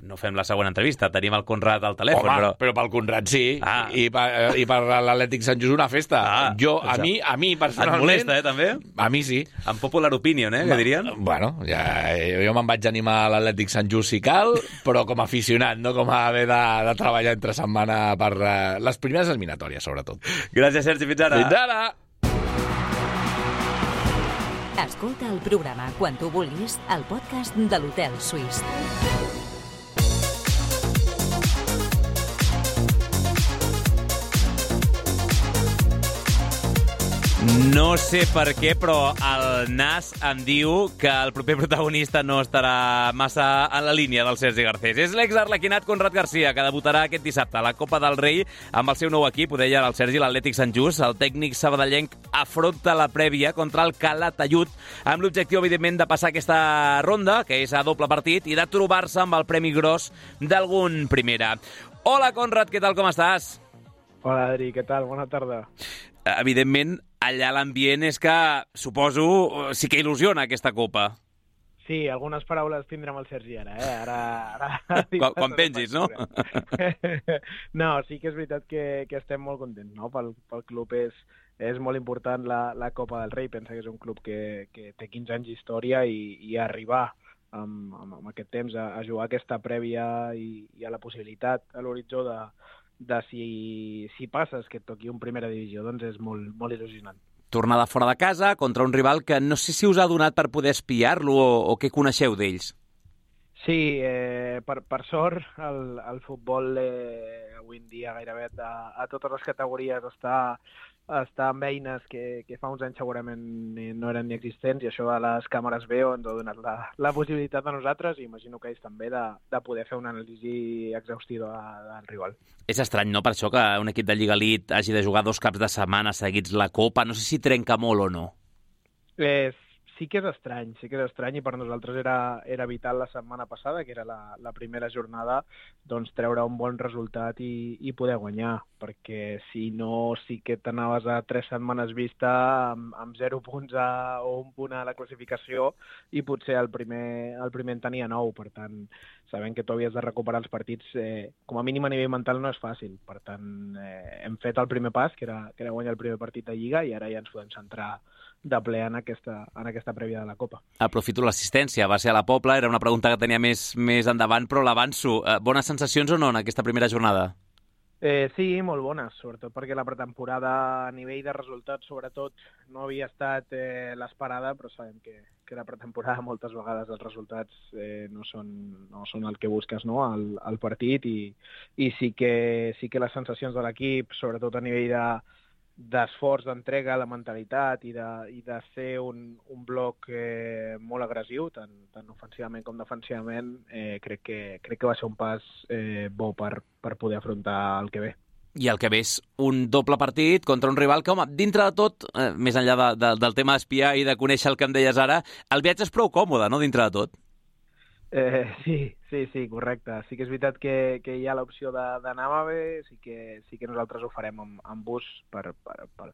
No fem la següent entrevista, tenim el Conrad al telèfon. Home, però pel Conrad sí, i per l'Atlètic Sant Just una festa. A mi personalment... Et molesta, també? A mi sí. En popular opinion, que dirien? Bueno, jo me'n vaig animar a l'Atlètic Sant Just si cal, però com a aficionat, no com a haver de treballar entre setmana per les primeres eliminatòries, sobretot. Gràcies, Sergi, fins ara. Fins ara! Escolta el programa quan tu vulguis al podcast de l'Hotel Suís. No sé per què, però el Nas em diu que el proper protagonista no estarà massa en la línia del Sergi Garcés. És l'exarlequinat Conrad García, que debutarà aquest dissabte a la Copa del Rei amb el seu nou equip. Ho deia el Sergi, l'Atlètic Sant Just. El tècnic sabadellenc afronta la prèvia contra el Calatayud amb l'objectiu, evidentment, de passar aquesta ronda, que és a doble partit, i de trobar-se amb el premi gros d'algun primera. Hola, Conrad, què tal, com estàs? Hola, Adri, què tal? Bona tarda. Evidentment, allà l'ambient és que, suposo, sí que il·lusiona aquesta Copa. Sí, algunes paraules tindrem el Sergi ara, Ara quan pengis, no? No, sí que és veritat que estem molt contents, no? Pel club és molt important la Copa del Rei. Pensa que és un club que té 15 anys d'història i arribar amb aquest temps a jugar aquesta prèvia i a la possibilitat a l'horitzó de si passes que et toqui un primera divisió, doncs és molt, molt il·lusionant. Tornada fora de casa contra un rival que no sé si us ha donat per poder espiar-lo o què coneixeu d'ells. Sí, per sort el futbol avui en dia gairebé a totes les categories està amb eines que fa uns anys segurament no eren ni existents, i això de les càmeres veo ens ha donat la possibilitat a nosaltres, i imagino que ells també, de poder fer una anàlisi exhaustiva del rival. És estrany, no?, per això que un equip de Lliga Elite hagi de jugar 2 caps de setmana seguits la Copa. No sé si trenca molt o no. Sí que és estrany, i per nosaltres era vital la setmana passada, que era la primera jornada, doncs treure un bon resultat i poder guanyar, perquè si no sí que t'anaves a 3 setmanes vista amb 0 punts o 1 punt a la classificació, i potser el primer en tenia 9, per tant, sabent que tu havies de recuperar els partits, com a mínim a nivell mental no és fàcil. Per tant, hem fet el primer pas, que era guanyar el primer partit de Lliga, i ara ja ens podem centrar de ple en aquesta prèvia de la Copa. Aprofito l'assistència, va ser a la Pobla, era una pregunta que tenia més endavant, però l'avanço. Bones sensacions o no en aquesta primera jornada? Sí, molt bones, sobretot perquè la pretemporada a nivell de resultats, sobretot, no havia estat l'esperada, però sabem que la pretemporada moltes vegades els resultats no són el que busques, no?, al partit, i sí que les sensacions de l'equip, sobretot a nivell d'esforç, d'entrega, de mentalitat i de ser un bloc molt agressiu, tant ofensivament com defensivament, crec que va ser un pas bo per poder afrontar el que ve. I el que ve és un doble partit contra un rival que, home, dintre de tot, més enllà del tema d'espiar i de conèixer el que em deies ara, el viatge és prou còmode, no?, dintre de tot. Sí, correcte. Sí que és veritat que hi ha l'opció d'anar a AVE, sí que nosaltres ho farem amb bus per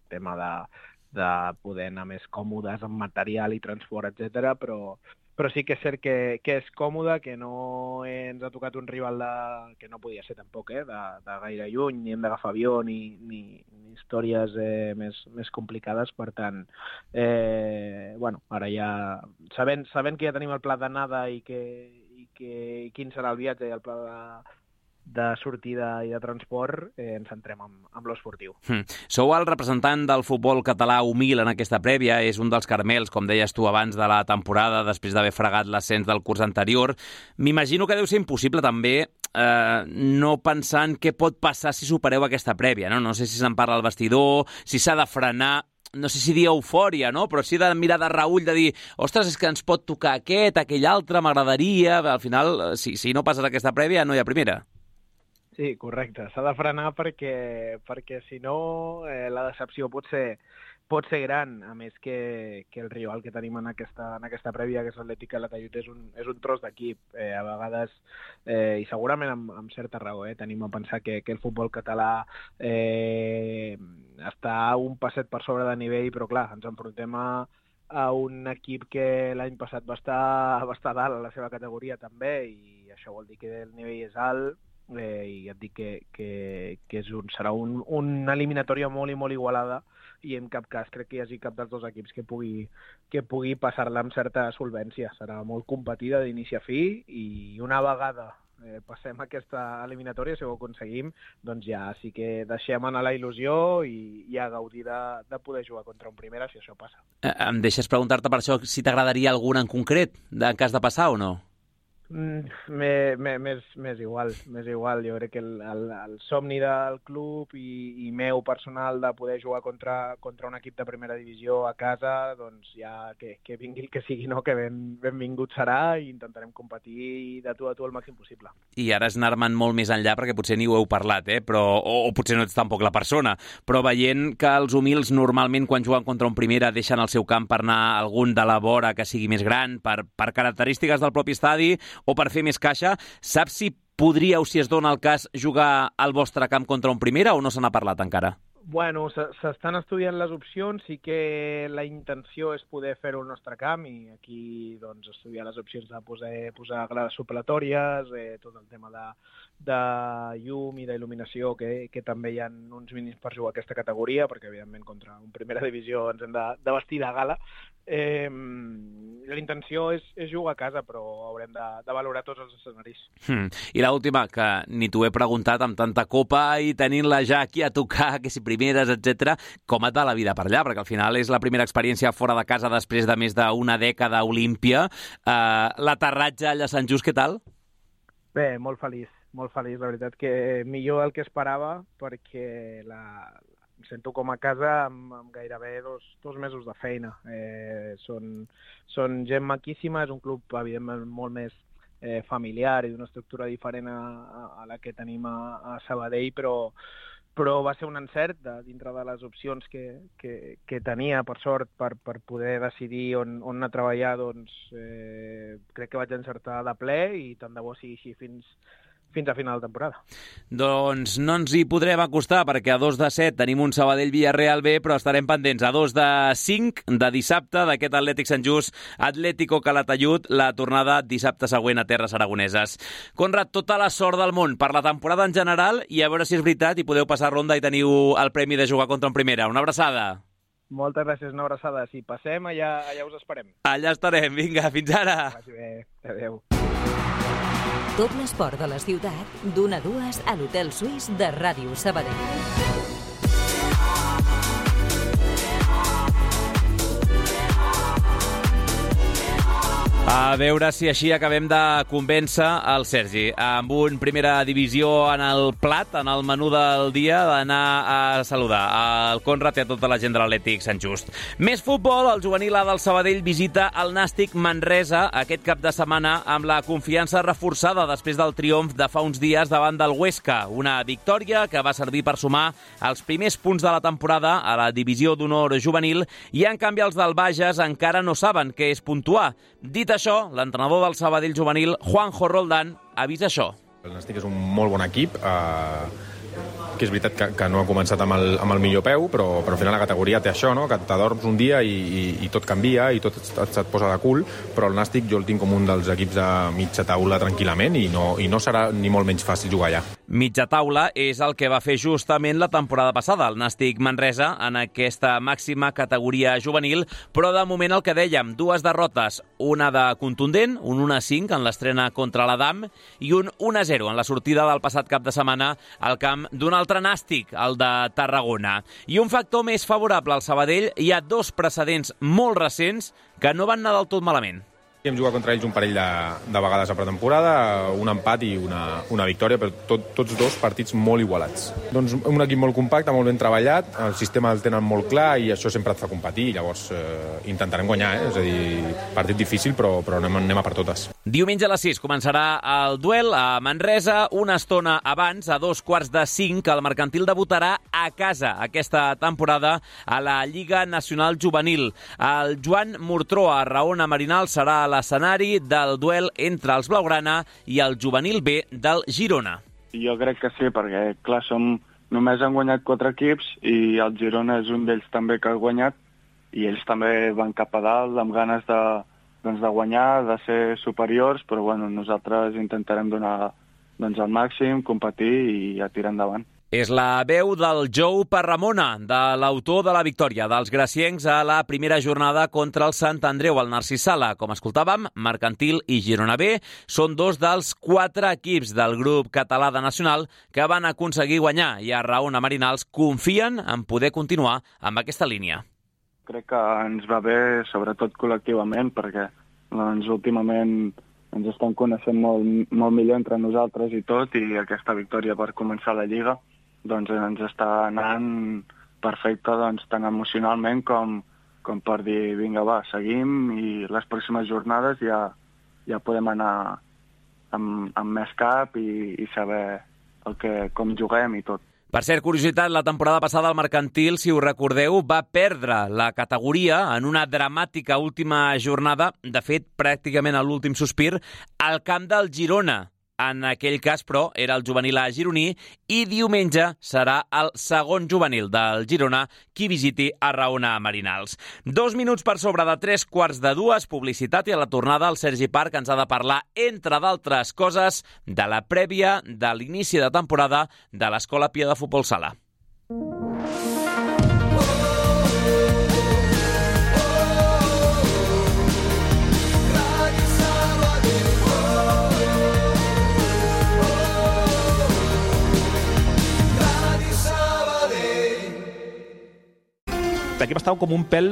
tema de poder anar més còmodes amb material i transport, etc. Però sí que és cert que és còmode, que no ens ha tocat un rival que no podia ser tampoc, de gaire lluny, ni hem d'agafar avió, ni històries més complicades. Per tant, ara ja, sabent que ja tenim el pla d'anada i quin serà el viatge i el pla de sortida i de transport, ens centrem amb l'esportiu. Sou el representant del futbol català humil en aquesta prèvia, és un dels caramels, com deies tu abans, de la temporada, després d'haver fregat l'ascens del curs anterior. M'imagino que deu ser impossible també no pensar en què pot passar si supereu aquesta prèvia, no? No sé si se'n parla al vestidor, si s'ha de frenar, no sé si dir eufòria, no?, però sí de mirar de reüll, de dir, ostres, és que ens pot tocar aquell altre, m'agradaria. Al final, si no passes aquesta prèvia, no hi ha primera. Sí, correcte. S'ha de frenar perquè si no la decepció pot ser gran, a més que el rival que tenim en aquesta prèvia, que és l'Atlètic Calatayud, és un tros d'equip. A vegades, i segurament amb certa raó, tenim a pensar que el futbol català està un passet per sobre de nivell, però clar, ens enfrontem a un equip que l'any passat va estar dalt a la seva categoria també, i això vol dir que el nivell és alt, i et dic que serà una eliminatòria molt i molt igualada, i en cap cas crec que hi hagi cap dels dos equips que pugui passar-la amb certa solvència. Serà molt competida d'inici a fi, i una vegada passem aquesta eliminatòria, si ho aconseguim, doncs ja sí que deixem anar la il·lusió i a gaudir de poder jugar contra un primera, si això passa. Em deixes preguntar-te per això si t'agradaria algun en concret, en cas de passar o no? Més igual. Jo crec que el somni del club i meu personal de poder jugar contra un equip de primera divisió a casa, doncs ja que vingui el que sigui, no, que benvingut serà, i intentarem competir de tu a tu el màxim possible. I ara és anar-me'n molt més enllà, perquè potser ni ho heu parlat, o potser no ets tampoc la persona, però veient que els humils normalment quan juguen contra un primera deixen el seu camp per anar a algun de la vora que sigui més gran, per característiques del propi estadi, o per fer més caixa, saps si podríeu, si es dona el cas, jugar al vostre camp contra un primera, o no se n'ha parlat encara? Bueno, s'estan estudiant les opcions, sí que la intenció és poder fer-ho al nostre camp, i aquí doncs estudiar les opcions de posar grades supletòries, tot el tema de llum i d'il·luminació, que també hi ha uns mínims per jugar a aquesta categoria, perquè evidentment contra un primera divisió ens hem de vestir de gala. la intenció és jugar a casa, però haurem de valorar tots els escenaris. I l'última, que ni t'ho he preguntat, amb tanta copa i tenint-la ja aquí a tocar, que si primeres, etc. Com et va la vida per allà? Perquè al final és la primera experiència fora de casa després de més d'una dècada a Olímpia. L'aterratge allà a Sant Just, què tal? Bé, molt feliç. La veritat que millor del que esperava, perquè em sento com a casa amb gairebé dos mesos de feina. Són gent maquíssima, és un club evidentment molt més familiar i d'una estructura diferent a la que tenim a Sabadell, però va ser un encert dintre de les opcions que tenia, per sort, per poder decidir on anar a treballar. Doncs crec que vaig encertar de ple i tant de bo sigui així fins a final de temporada. Doncs no ens hi podrem acostar, perquè a 2 de 7 tenim un Sabadell-Villarreal B, però estarem pendents a 2 de 5 de dissabte d'aquest Atlètic Sant Just, Atlético Calatayud, la tornada dissabte següent a Terres Aragoneses. Conrad, tota la sort del món per la temporada en general i a veure si és veritat i podeu passar ronda i teniu el premi de jugar contra en primera. Una abraçada. Moltes gràcies, una abraçada. Si passem, allà us esperem. Allà estarem. Vinga, fins ara. Vagi bé. Adéu. Tot l'esport de la ciutat, d'1 a 2 a l'Hotel Suís de Ràdio Sabadell. A veure si així acabem de convèncer el Sergi. Amb un primera divisió en el plat, en el menú del dia, d'anar a saludar el Conrad i a tota la gent de l'Atlètic Sant Just. Més futbol, el juvenil A del Sabadell visita el Nàstic Manresa aquest cap de setmana amb la confiança reforçada després del triomf de fa uns dies davant del Huesca. Una victòria que va servir per sumar els primers punts de la temporada a la divisió d'honor juvenil i, en canvi, els del Bages encara no saben què és puntuar. Dit això, l'entrenador del Sabadell juvenil, Juanjo Roldán, avisa això. El Nàstic és un molt bon equip, que és veritat que no ha començat amb el millor peu, però al final la categoria té això, no? Que t'adorms un dia i tot canvia i tot se't posa de cul, però el Nàstic jo el tinc com un dels equips de mitja taula tranquil·lament i no serà ni molt menys fàcil jugar allà. Mitja taula és el que va fer justament la temporada passada el Nàstic Manresa en aquesta màxima categoria juvenil, però de moment el que dèiem, 2 derrotes, una de contundent, un 1-5 en l'estrena contra l'Adam i un 1-0 en la sortida del passat cap de setmana al camp d'un altre Nàstic, el de Tarragona. I un factor més favorable al Sabadell, hi ha 2 precedents molt recents que no van anar del tot malament. Hem jugat contra ells un parell de vegades a pretemporada, un empat i una victòria, però tots 2 partits molt igualats. Doncs un equip molt compacte, molt ben treballat, el sistema el tenen molt clar i això sempre et fa competir, llavors intentarem guanyar, és a dir, partit difícil, però anem a per totes. Diumenge a les 6 començarà el duel a Manresa, una estona abans, a 4:45, el Mercantil debutarà a casa aquesta temporada a la Lliga Nacional Juvenil. El Joan Murtró a Raona Marinal serà a l'escenari del duel entre els Blaugrana i el juvenil B del Girona. Jo crec que sí, perquè, clar, només han guanyat 4 equips i el Girona és un d'ells també que ha guanyat i ells també van cap a dalt amb ganes de guanyar, de ser superiors, però bueno, nosaltres intentarem donar el màxim, competir i a tirar endavant. És la veu del Jou Parramona, de l'autor de la victòria dels graciencs a la primera jornada contra el Sant Andreu al Narcís Sala. Com escoltàvem, Mercantil i Girona B són 2 dels 4 equips del grup català de Nacional que van aconseguir guanyar i a Raona Marinals confien en poder continuar amb aquesta línia. Crec que ens va bé, sobretot col·lectivament, perquè últimament ens estem coneixent molt millor entre nosaltres i tot, i aquesta victòria per començar la Lliga doncs ens està anant perfecte, tant emocionalment com per dir, vinga, va, seguim i les pròximes jornades ja podem anar amb més cap i saber com juguem i tot. Per cert, curiositat, la temporada passada el Mercantil, si us recordeu, va perdre la categoria en una dramàtica última jornada, de fet, pràcticament a l'últim sospir, al camp del Girona. En aquell cas, però, era el juvenil A gironí i diumenge serà el segon juvenil del Girona qui visiti a Raona Marinals. 2 minuts per sobre de 3:15, publicitat, i a la tornada el Sergi Parc ens ha de parlar, entre d'altres coses, de la prèvia de l'inici de temporada de l'Escola Pia de Futbol Sala. estava com un pèl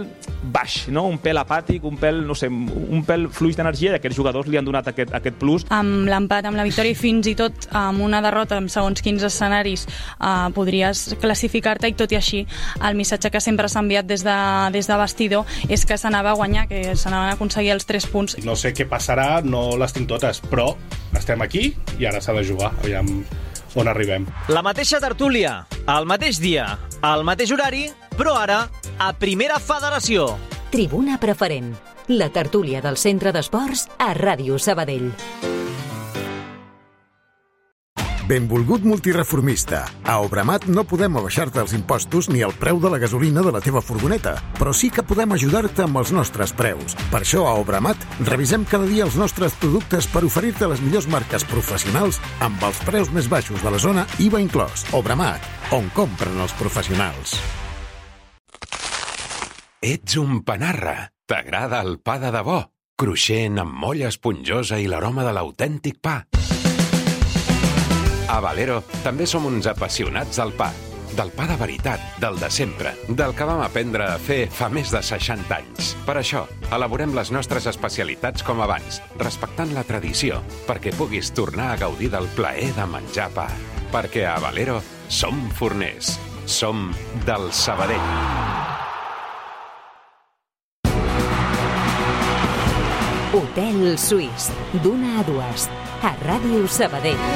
baix, no? Un pèl apàtic, un pèl, no sé, un pèl fluix d'energia, i aquests jugadors li han donat aquest plus. Amb l'empat, amb la victòria i fins i tot amb una derrota en segons quins escenaris podries classificar-te, i tot i així el missatge que sempre s'ha enviat des de vestidor és que s'anava a guanyar, que s'anaven a aconseguir els 3 punts. No sé què passarà, no les tinc totes, però estem aquí i ara s'ha de jugar, aviam on arribem. La mateixa tertúlia, el mateix dia, al mateix horari, però ara a Primera Federació. Tribuna Preferent, la tertúlia del Centre d'Esports a Ràdio Sabadell. Benvolgut multireformista. A Obramat no podem abaixar-te els impostos ni el preu de la gasolina de la teva furgoneta, però sí que podem ajudar-te amb els nostres preus. Per això a Obramat revisem cada dia els nostres productes per oferir-te les millors marques professionals amb els preus més baixos de la zona, IVA inclòs. Obramat, on compren els professionals. Ets un panarra. T'agrada el pa de debò? Cruixent, amb molla esponjosa i l'aroma de l'autèntic pa. A Valero també som uns apassionats del pa. Del pa de veritat, del de sempre, del que vam aprendre a fer fa més de 60 anys. Per això, elaborem les nostres especialitats com abans, respectant la tradició, perquè puguis tornar a gaudir del plaer de menjar pa. Perquè a Valero som forners. Som del Sabadell. Hotel Suís, d'una a dues, a Ràdio Sabadell.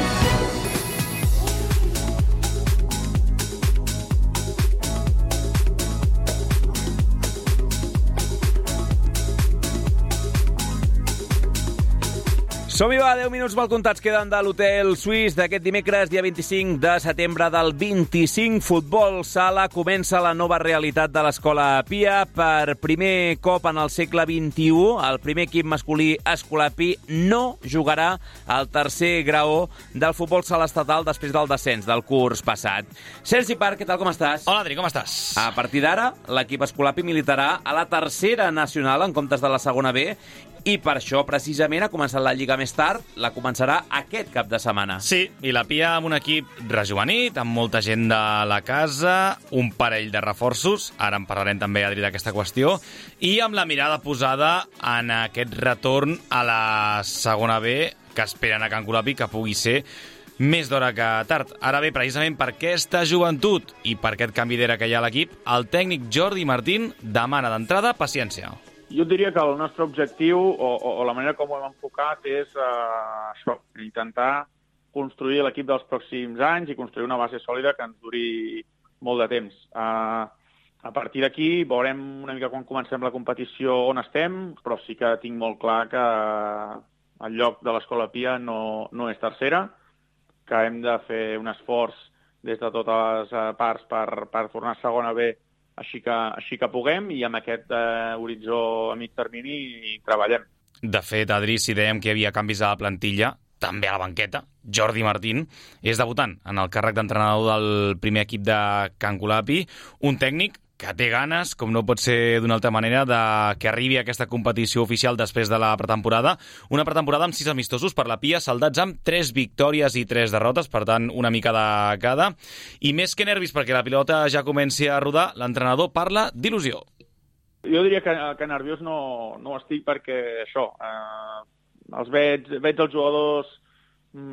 Som-hi, va, 10 minuts mal comptats queden de l'Hotel Suís d'aquest dimecres, dia 25 de setembre del 25. Futbol sala, comença la nova realitat de l'Escola Pia. Per primer cop en el segle XXI, el primer equip masculí escolapi no jugarà al tercer graó del futbol sala estatal després del descens del curs passat. Sergi Parc, què tal, com estàs? Hola, Adri, com estàs? A partir d'ara, l'equip escolapi militarà a la tercera nacional en comptes de la segona B, i per això, precisament, ha començat la Lliga més tard, la començarà aquest cap de setmana. Sí, i la Pia amb un equip rejuvenit, amb molta gent de la casa, un parell de reforços, ara en parlarem també, Adri, d'aquesta qüestió, i amb la mirada posada en aquest retorn a la segona B, que esperen a Can Colapi que pugui ser més d'hora que tard. Ara bé, precisament per aquesta joventut i per aquest canvi d'era que hi ha a l'equip, el tècnic Jordi Martín demana d'entrada paciència. Jo diria que el nostre objectiu, o la manera com ho hem enfocat, és això, intentar construir l'equip dels pròxims anys i construir una base sòlida que ens duri molt de temps. A partir d'aquí veurem una mica quan comencem la competició on estem, però sí que tinc molt clar que el lloc de l'Escola Pia no és tercera, que hem de fer un esforç des de totes les parts per tornar a segona B així que puguem, i amb aquest horitzó a mig termini treballem. De fet, Adri, si dèiem que hi havia canvis a la plantilla, també a la banqueta, Jordi Martín és debutant en el càrrec d'entrenador del primer equip de Can Colapi, un tècnic que té ganes, com no pot ser d'una altra manera, de que arribi a aquesta competició oficial després de la pretemporada. Una pretemporada amb 6 amistosos per la Pia, saldats amb 3 victòries i 3 derrotes, per tant, una mica de cada. I més que nervis perquè la pilota ja comenci a rodar, l'entrenador parla d'il·lusió. Jo diria que nerviós no estic perquè això, els veig els jugadors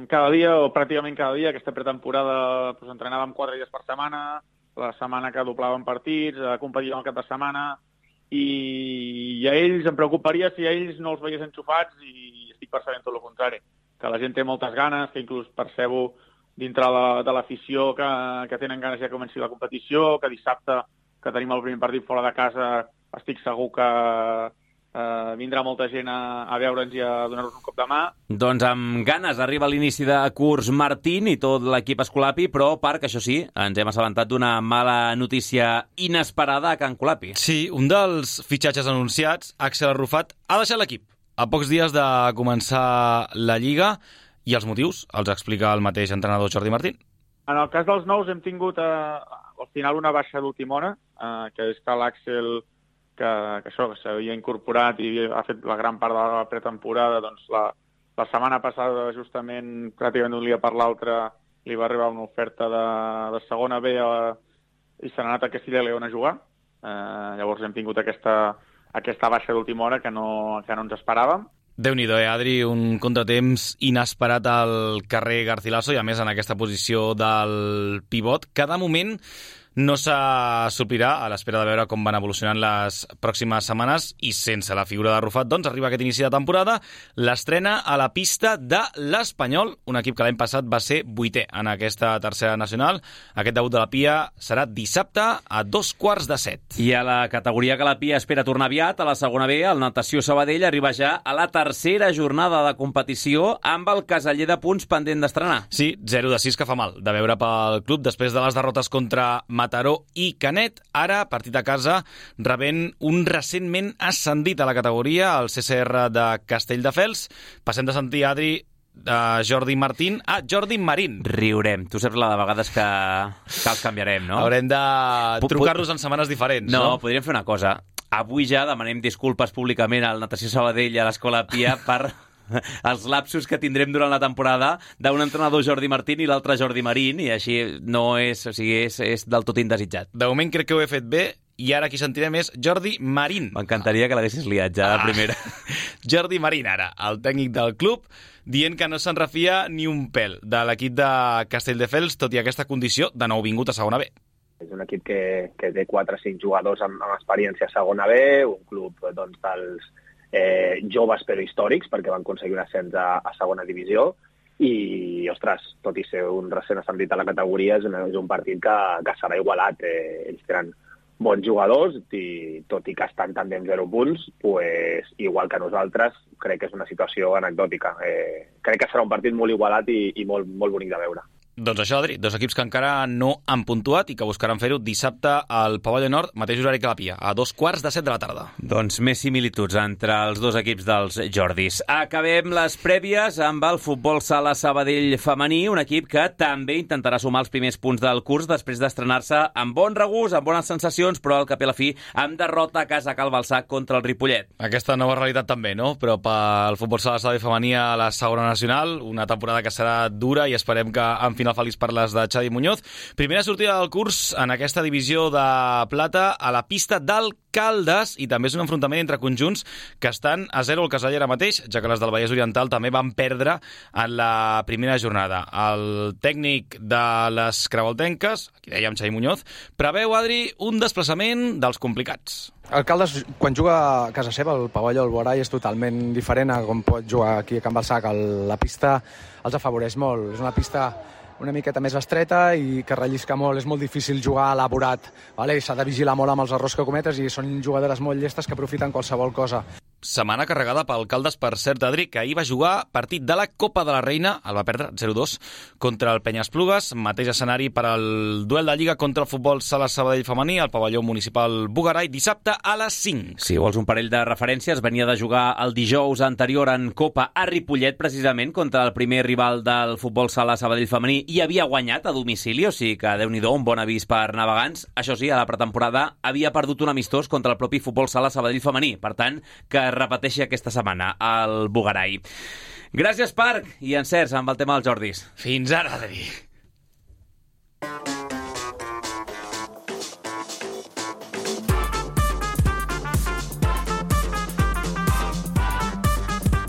cada dia o pràcticament cada dia. Aquesta pretemporada entrenàvem 4 dies per setmana, la setmana que doblàvem partits, competíem el cap de setmana, i a ells em preocuparia si a ells no els veiés enxufats, i estic percebent tot el contrari, que la gent té moltes ganes, que inclús percebo dintre de l'afició que tenen ganes ja que comenci la competició, que dissabte, que tenim el primer partit fora de casa, estic segur que vindrà molta gent a veure'ns i a donar-nos un cop de mà. Doncs amb ganes arriba l'inici de curs Martín i tot l'equip escolapi, però, Parc, això sí, ens hem assabentat d'una mala notícia inesperada a Can Colapi. Sí, un dels fitxatges anunciats, Axel Arrufat, ha deixat l'equip a pocs dies de començar la Lliga, i els motius els explica el mateix entrenador Jordi Martín. En el cas dels nous hem tingut al final una baixa d'última hora, que és que l'Àxel, que s'havia incorporat i ha fet la gran part de la pretemporada, doncs la setmana passada, justament, pràcticament d'un dia per l'altre, li va arribar una oferta de segona B i se n'ha anat a Castilla y León a jugar. Llavors hem tingut aquesta baixa d'última hora que no ens esperàvem. Déu-n'hi-do, Adri, un contratemps inesperat al carrer Garcilaso i a més en aquesta posició del pivot, que de moment no s'assopirà a l'espera de veure com van evolucionant les pròximes setmanes i sense la figura de Rufat, doncs arriba aquest inici de temporada, l'estrena a la pista de l'Espanyol, un equip que l'any passat va ser 8è en aquesta tercera nacional. Aquest debut de la Pia serà dissabte a 7:15. I a la categoria que la Pia espera tornar aviat, a la segona B, el Natació Sabadell arriba ja a la tercera jornada de competició amb el caseller de punts pendent d'estrenar. Sí, 0-6 que fa mal de veure pel club després de les derrotes contra Mataró i Canet. Ara, partit a casa, rebent un recentment ascendit a la categoria, el CCR de Castelldefels. Passem de sentir, Adri, de Jordi Martín a Jordi Marín. Riurem. Tu saps la de vegades que els canviarem, no? Haurem de trucar-los en setmanes diferents, no? No, podríem fer una cosa. Avui ja demanem disculpes públicament al Natació Sabadell i a l'Escola Pia per els lapsos que tindrem durant la temporada d'un entrenador Jordi Martín i l'altre Jordi Marín, i així no és, o sigui, és del tot indesitjat. De moment crec que ho he fet bé, i ara qui sentirem és Jordi Marín. M'encantaria que l'haguessis liat ja de primera. Jordi Marín, ara, el tècnic del club, dient que no se'n refia ni un pèl de l'equip de Castelldefels, tot i aquesta condició de nou vingut a segona B. És un equip que té 4 o 5 jugadors amb experiència a segona B, un club doncs, dels joves però històrics, perquè van aconseguir un ascens a segona divisió, i, ostres, tot i ser un recent ascendit a la categoria, és un partit que serà igualat. Ells tenen bons jugadors, i tot i que estan també amb 0 punts, pues, igual que nosaltres, crec que és una situació anecdòtica. Crec que serà un partit molt igualat i molt, molt bonic de veure. Doncs això, Adri, 2 equips que encara no han puntuat i que buscaran fer-ho dissabte al Pavelló Nord, mateix horari que la Pia, a 7:15 de la tarda. Doncs més similituds entre els dos equips dels Jordis. Acabem les prèvies amb el Futbol Sala Sabadell femení, un equip que també intentarà sumar els primers punts del curs després d'estrenar-se amb bon regust, amb bones sensacions, però al cap i a la fi amb derrota a casa a Cal Balsac contra el Ripollet. Aquesta nova realitat també, no? Però pel Futbol Sala Sabadell femení a la segona nacional, una temporada que serà dura i esperem que en final feliç per les de Xavi Muñoz. Primera sortida del curs en aquesta divisió de plata a la pista del Caldes, i també és un enfrontament entre conjunts que estan a 0 al caseller ara mateix, ja que les del Vallès Oriental també van perdre en la primera jornada. El tècnic de les crevoltenques, aquí dèiem Xavi Muñoz, preveu, Adri, un desplaçament dels complicats. El Caldes, quan juga a casa seva, el pavelló, el Borai, és totalment diferent a com pot jugar aquí a Can Balsac. La pista els afavoreix molt. És una pista una miqueta més estreta i que rellisca molt, és molt difícil jugar elaborat, vale? S'ha de vigilar molt amb els errors que cometes i són jugadores molt llestes que aprofiten qualsevol cosa. Setmana carregada pel Caldes, per cert, Adri, que ahir va jugar partit de la Copa de la Reina, el va perdre 0-2 contra el Penyesplugues, mateix escenari per al duel de Lliga contra el Futbol Sala Sabadell femení, al pavelló municipal Bugarai, dissabte a les 5. Si vols un parell de referències, venia de jugar el dijous anterior en Copa a Ripollet, precisament, contra el primer rival del Futbol Sala Sabadell femení, i havia guanyat a domicili, o sigui que, Déu-n'hi-do, un bon avís per navegants. Això sí, a la pretemporada havia perdut un amistós contra el propi Futbol Sala Sabadell femení, per tant, que repeteixi aquesta setmana al Bugarai. Gràcies, Parc, i encerts amb el tema dels Jordis. Fins ara, Adri.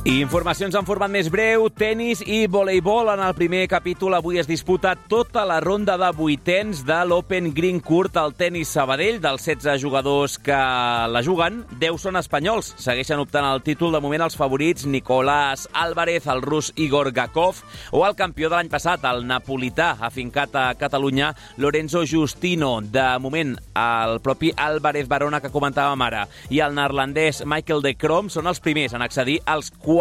I informacions en format més breu, tenis i voleibol. En el primer capítol avui es disputa tota la ronda de vuitens de l'Open Green Court al tenis Sabadell. Dels 16 jugadors que la juguen, 10 són espanyols. Segueixen optant el títol de moment els favorits Nicolás Álvarez, el rus Igor Gakov o el campió de l'any passat, el napolità, afincat a Catalunya, Lorenzo Giustino. De moment, el propi Álvarez Barona que comentàvem ara i el neerlandès Michael de Krom són els primers en accedir als quarts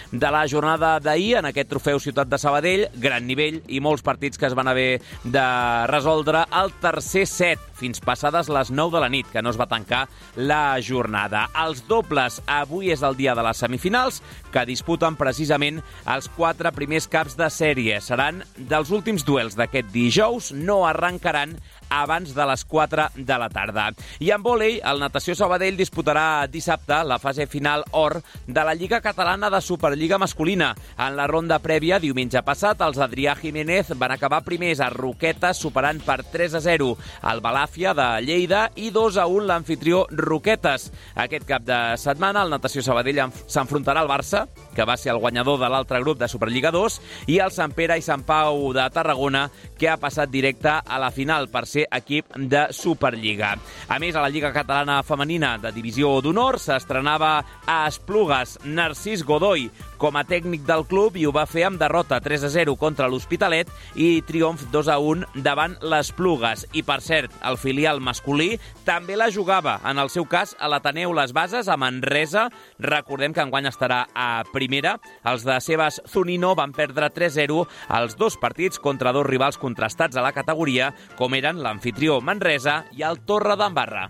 de la jornada d'ahir en aquest trofeu Ciutat de Sabadell. Gran nivell i molts partits que es van haver de resoldre al tercer set fins passades les 9 de la nit, que no es va tancar la jornada. Els dobles, avui és el dia de les semifinals, que disputen precisament els 4 primers caps de sèrie. Seran dels últims duels d'aquest dijous, no arrencaran abans de les 4 de la tarda. I en vòlei, el Natació Sabadell disputarà dissabte la fase final or de la Lliga Catalana catalana de Superliga masculina. En la ronda prèvia, diumenge passat, els Adrià Jiménez van acabar primers a Roquetes, superant per 3-0 el Balàfia de Lleida i 2-1 l'anfitrió Roquetes. Aquest cap de setmana, el Natació Sabadell s'enfrontarà al Barça, que va ser el guanyador de l'altre grup de Superliga 2, i el Sant Pere i Sant Pau de Tarragona, que ha passat directe a la final per ser equip de Superliga. A més, a la Lliga Catalana Femenina de Divisió d'Honor s'estrenava a Esplugues Narcís Godoy com a tècnic del club i ho va fer amb derrota 3-0 contra l'Hospitalet i triomf 2-1 davant l'Esplugues. I, per cert, el filial masculí també la jugava, en el seu cas, a l'Ateneu Les Bases, a Manresa. Recordem que enguany estarà a primera. Els de Sebas Zunino van perdre 3-0 els dos partits contra dos rivals contrastats a la categoria, com eren l'anfitrió Manresa i el Torre d'Embarra.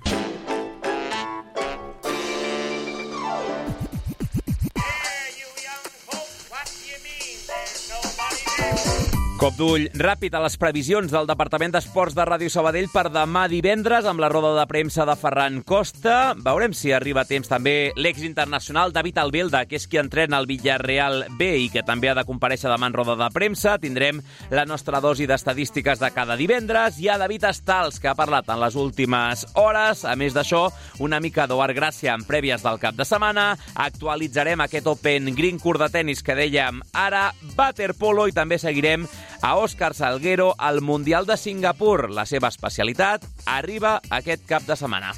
Cop d'ull ràpid a les previsions del Departament d'Esports de Ràdio Sabadell per demà divendres amb la roda de premsa de Ferran Costa. Veurem si arriba a temps també l'exinternacional David Albelda, que és qui entrena el Villarreal B i que també ha de comparèixer demà en roda de premsa. Tindrem la nostra dosi d'estadístiques de cada divendres. Hi ha David Estals, que ha parlat en les últimes hores. A més d'això, una mica d'Oar Gràcia en prèvies del cap de setmana. Actualitzarem aquest Open Green Court de tenis que dèiem ara, waterpolo, i també seguirem a Òscar Salguero al Mundial de Singapur. La seva especialitat arriba aquest cap de setmana.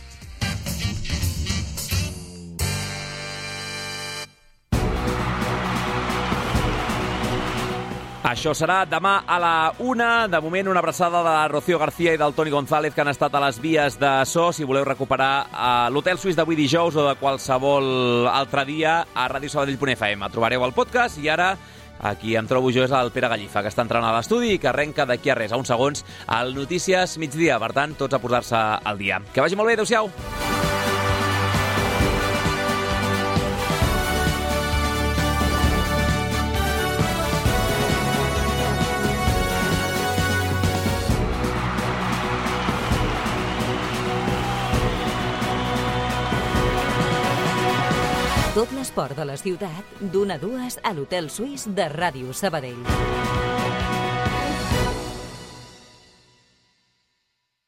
Això serà demà a la 1. De moment, una abraçada de Rocío García i del Toni González, que han estat a les vies de so. Si voleu recuperar l'Hotel Suís d'avui dijous o de qualsevol altre dia, a radiosabadell.fm. Trobareu el podcast i ara aquí em trobo jo és el Pere Gallifa, que està entrant a l'estudi i que arrenca d'aquí a res, a uns segons, al Notícies Migdia. Per tant, tots a posar-se al dia. Que vagi molt bé, adéu-siau! Tot l'esport de la ciutat, d'1 a 2 a l'Hotel Suís de Ràdio Sabadell.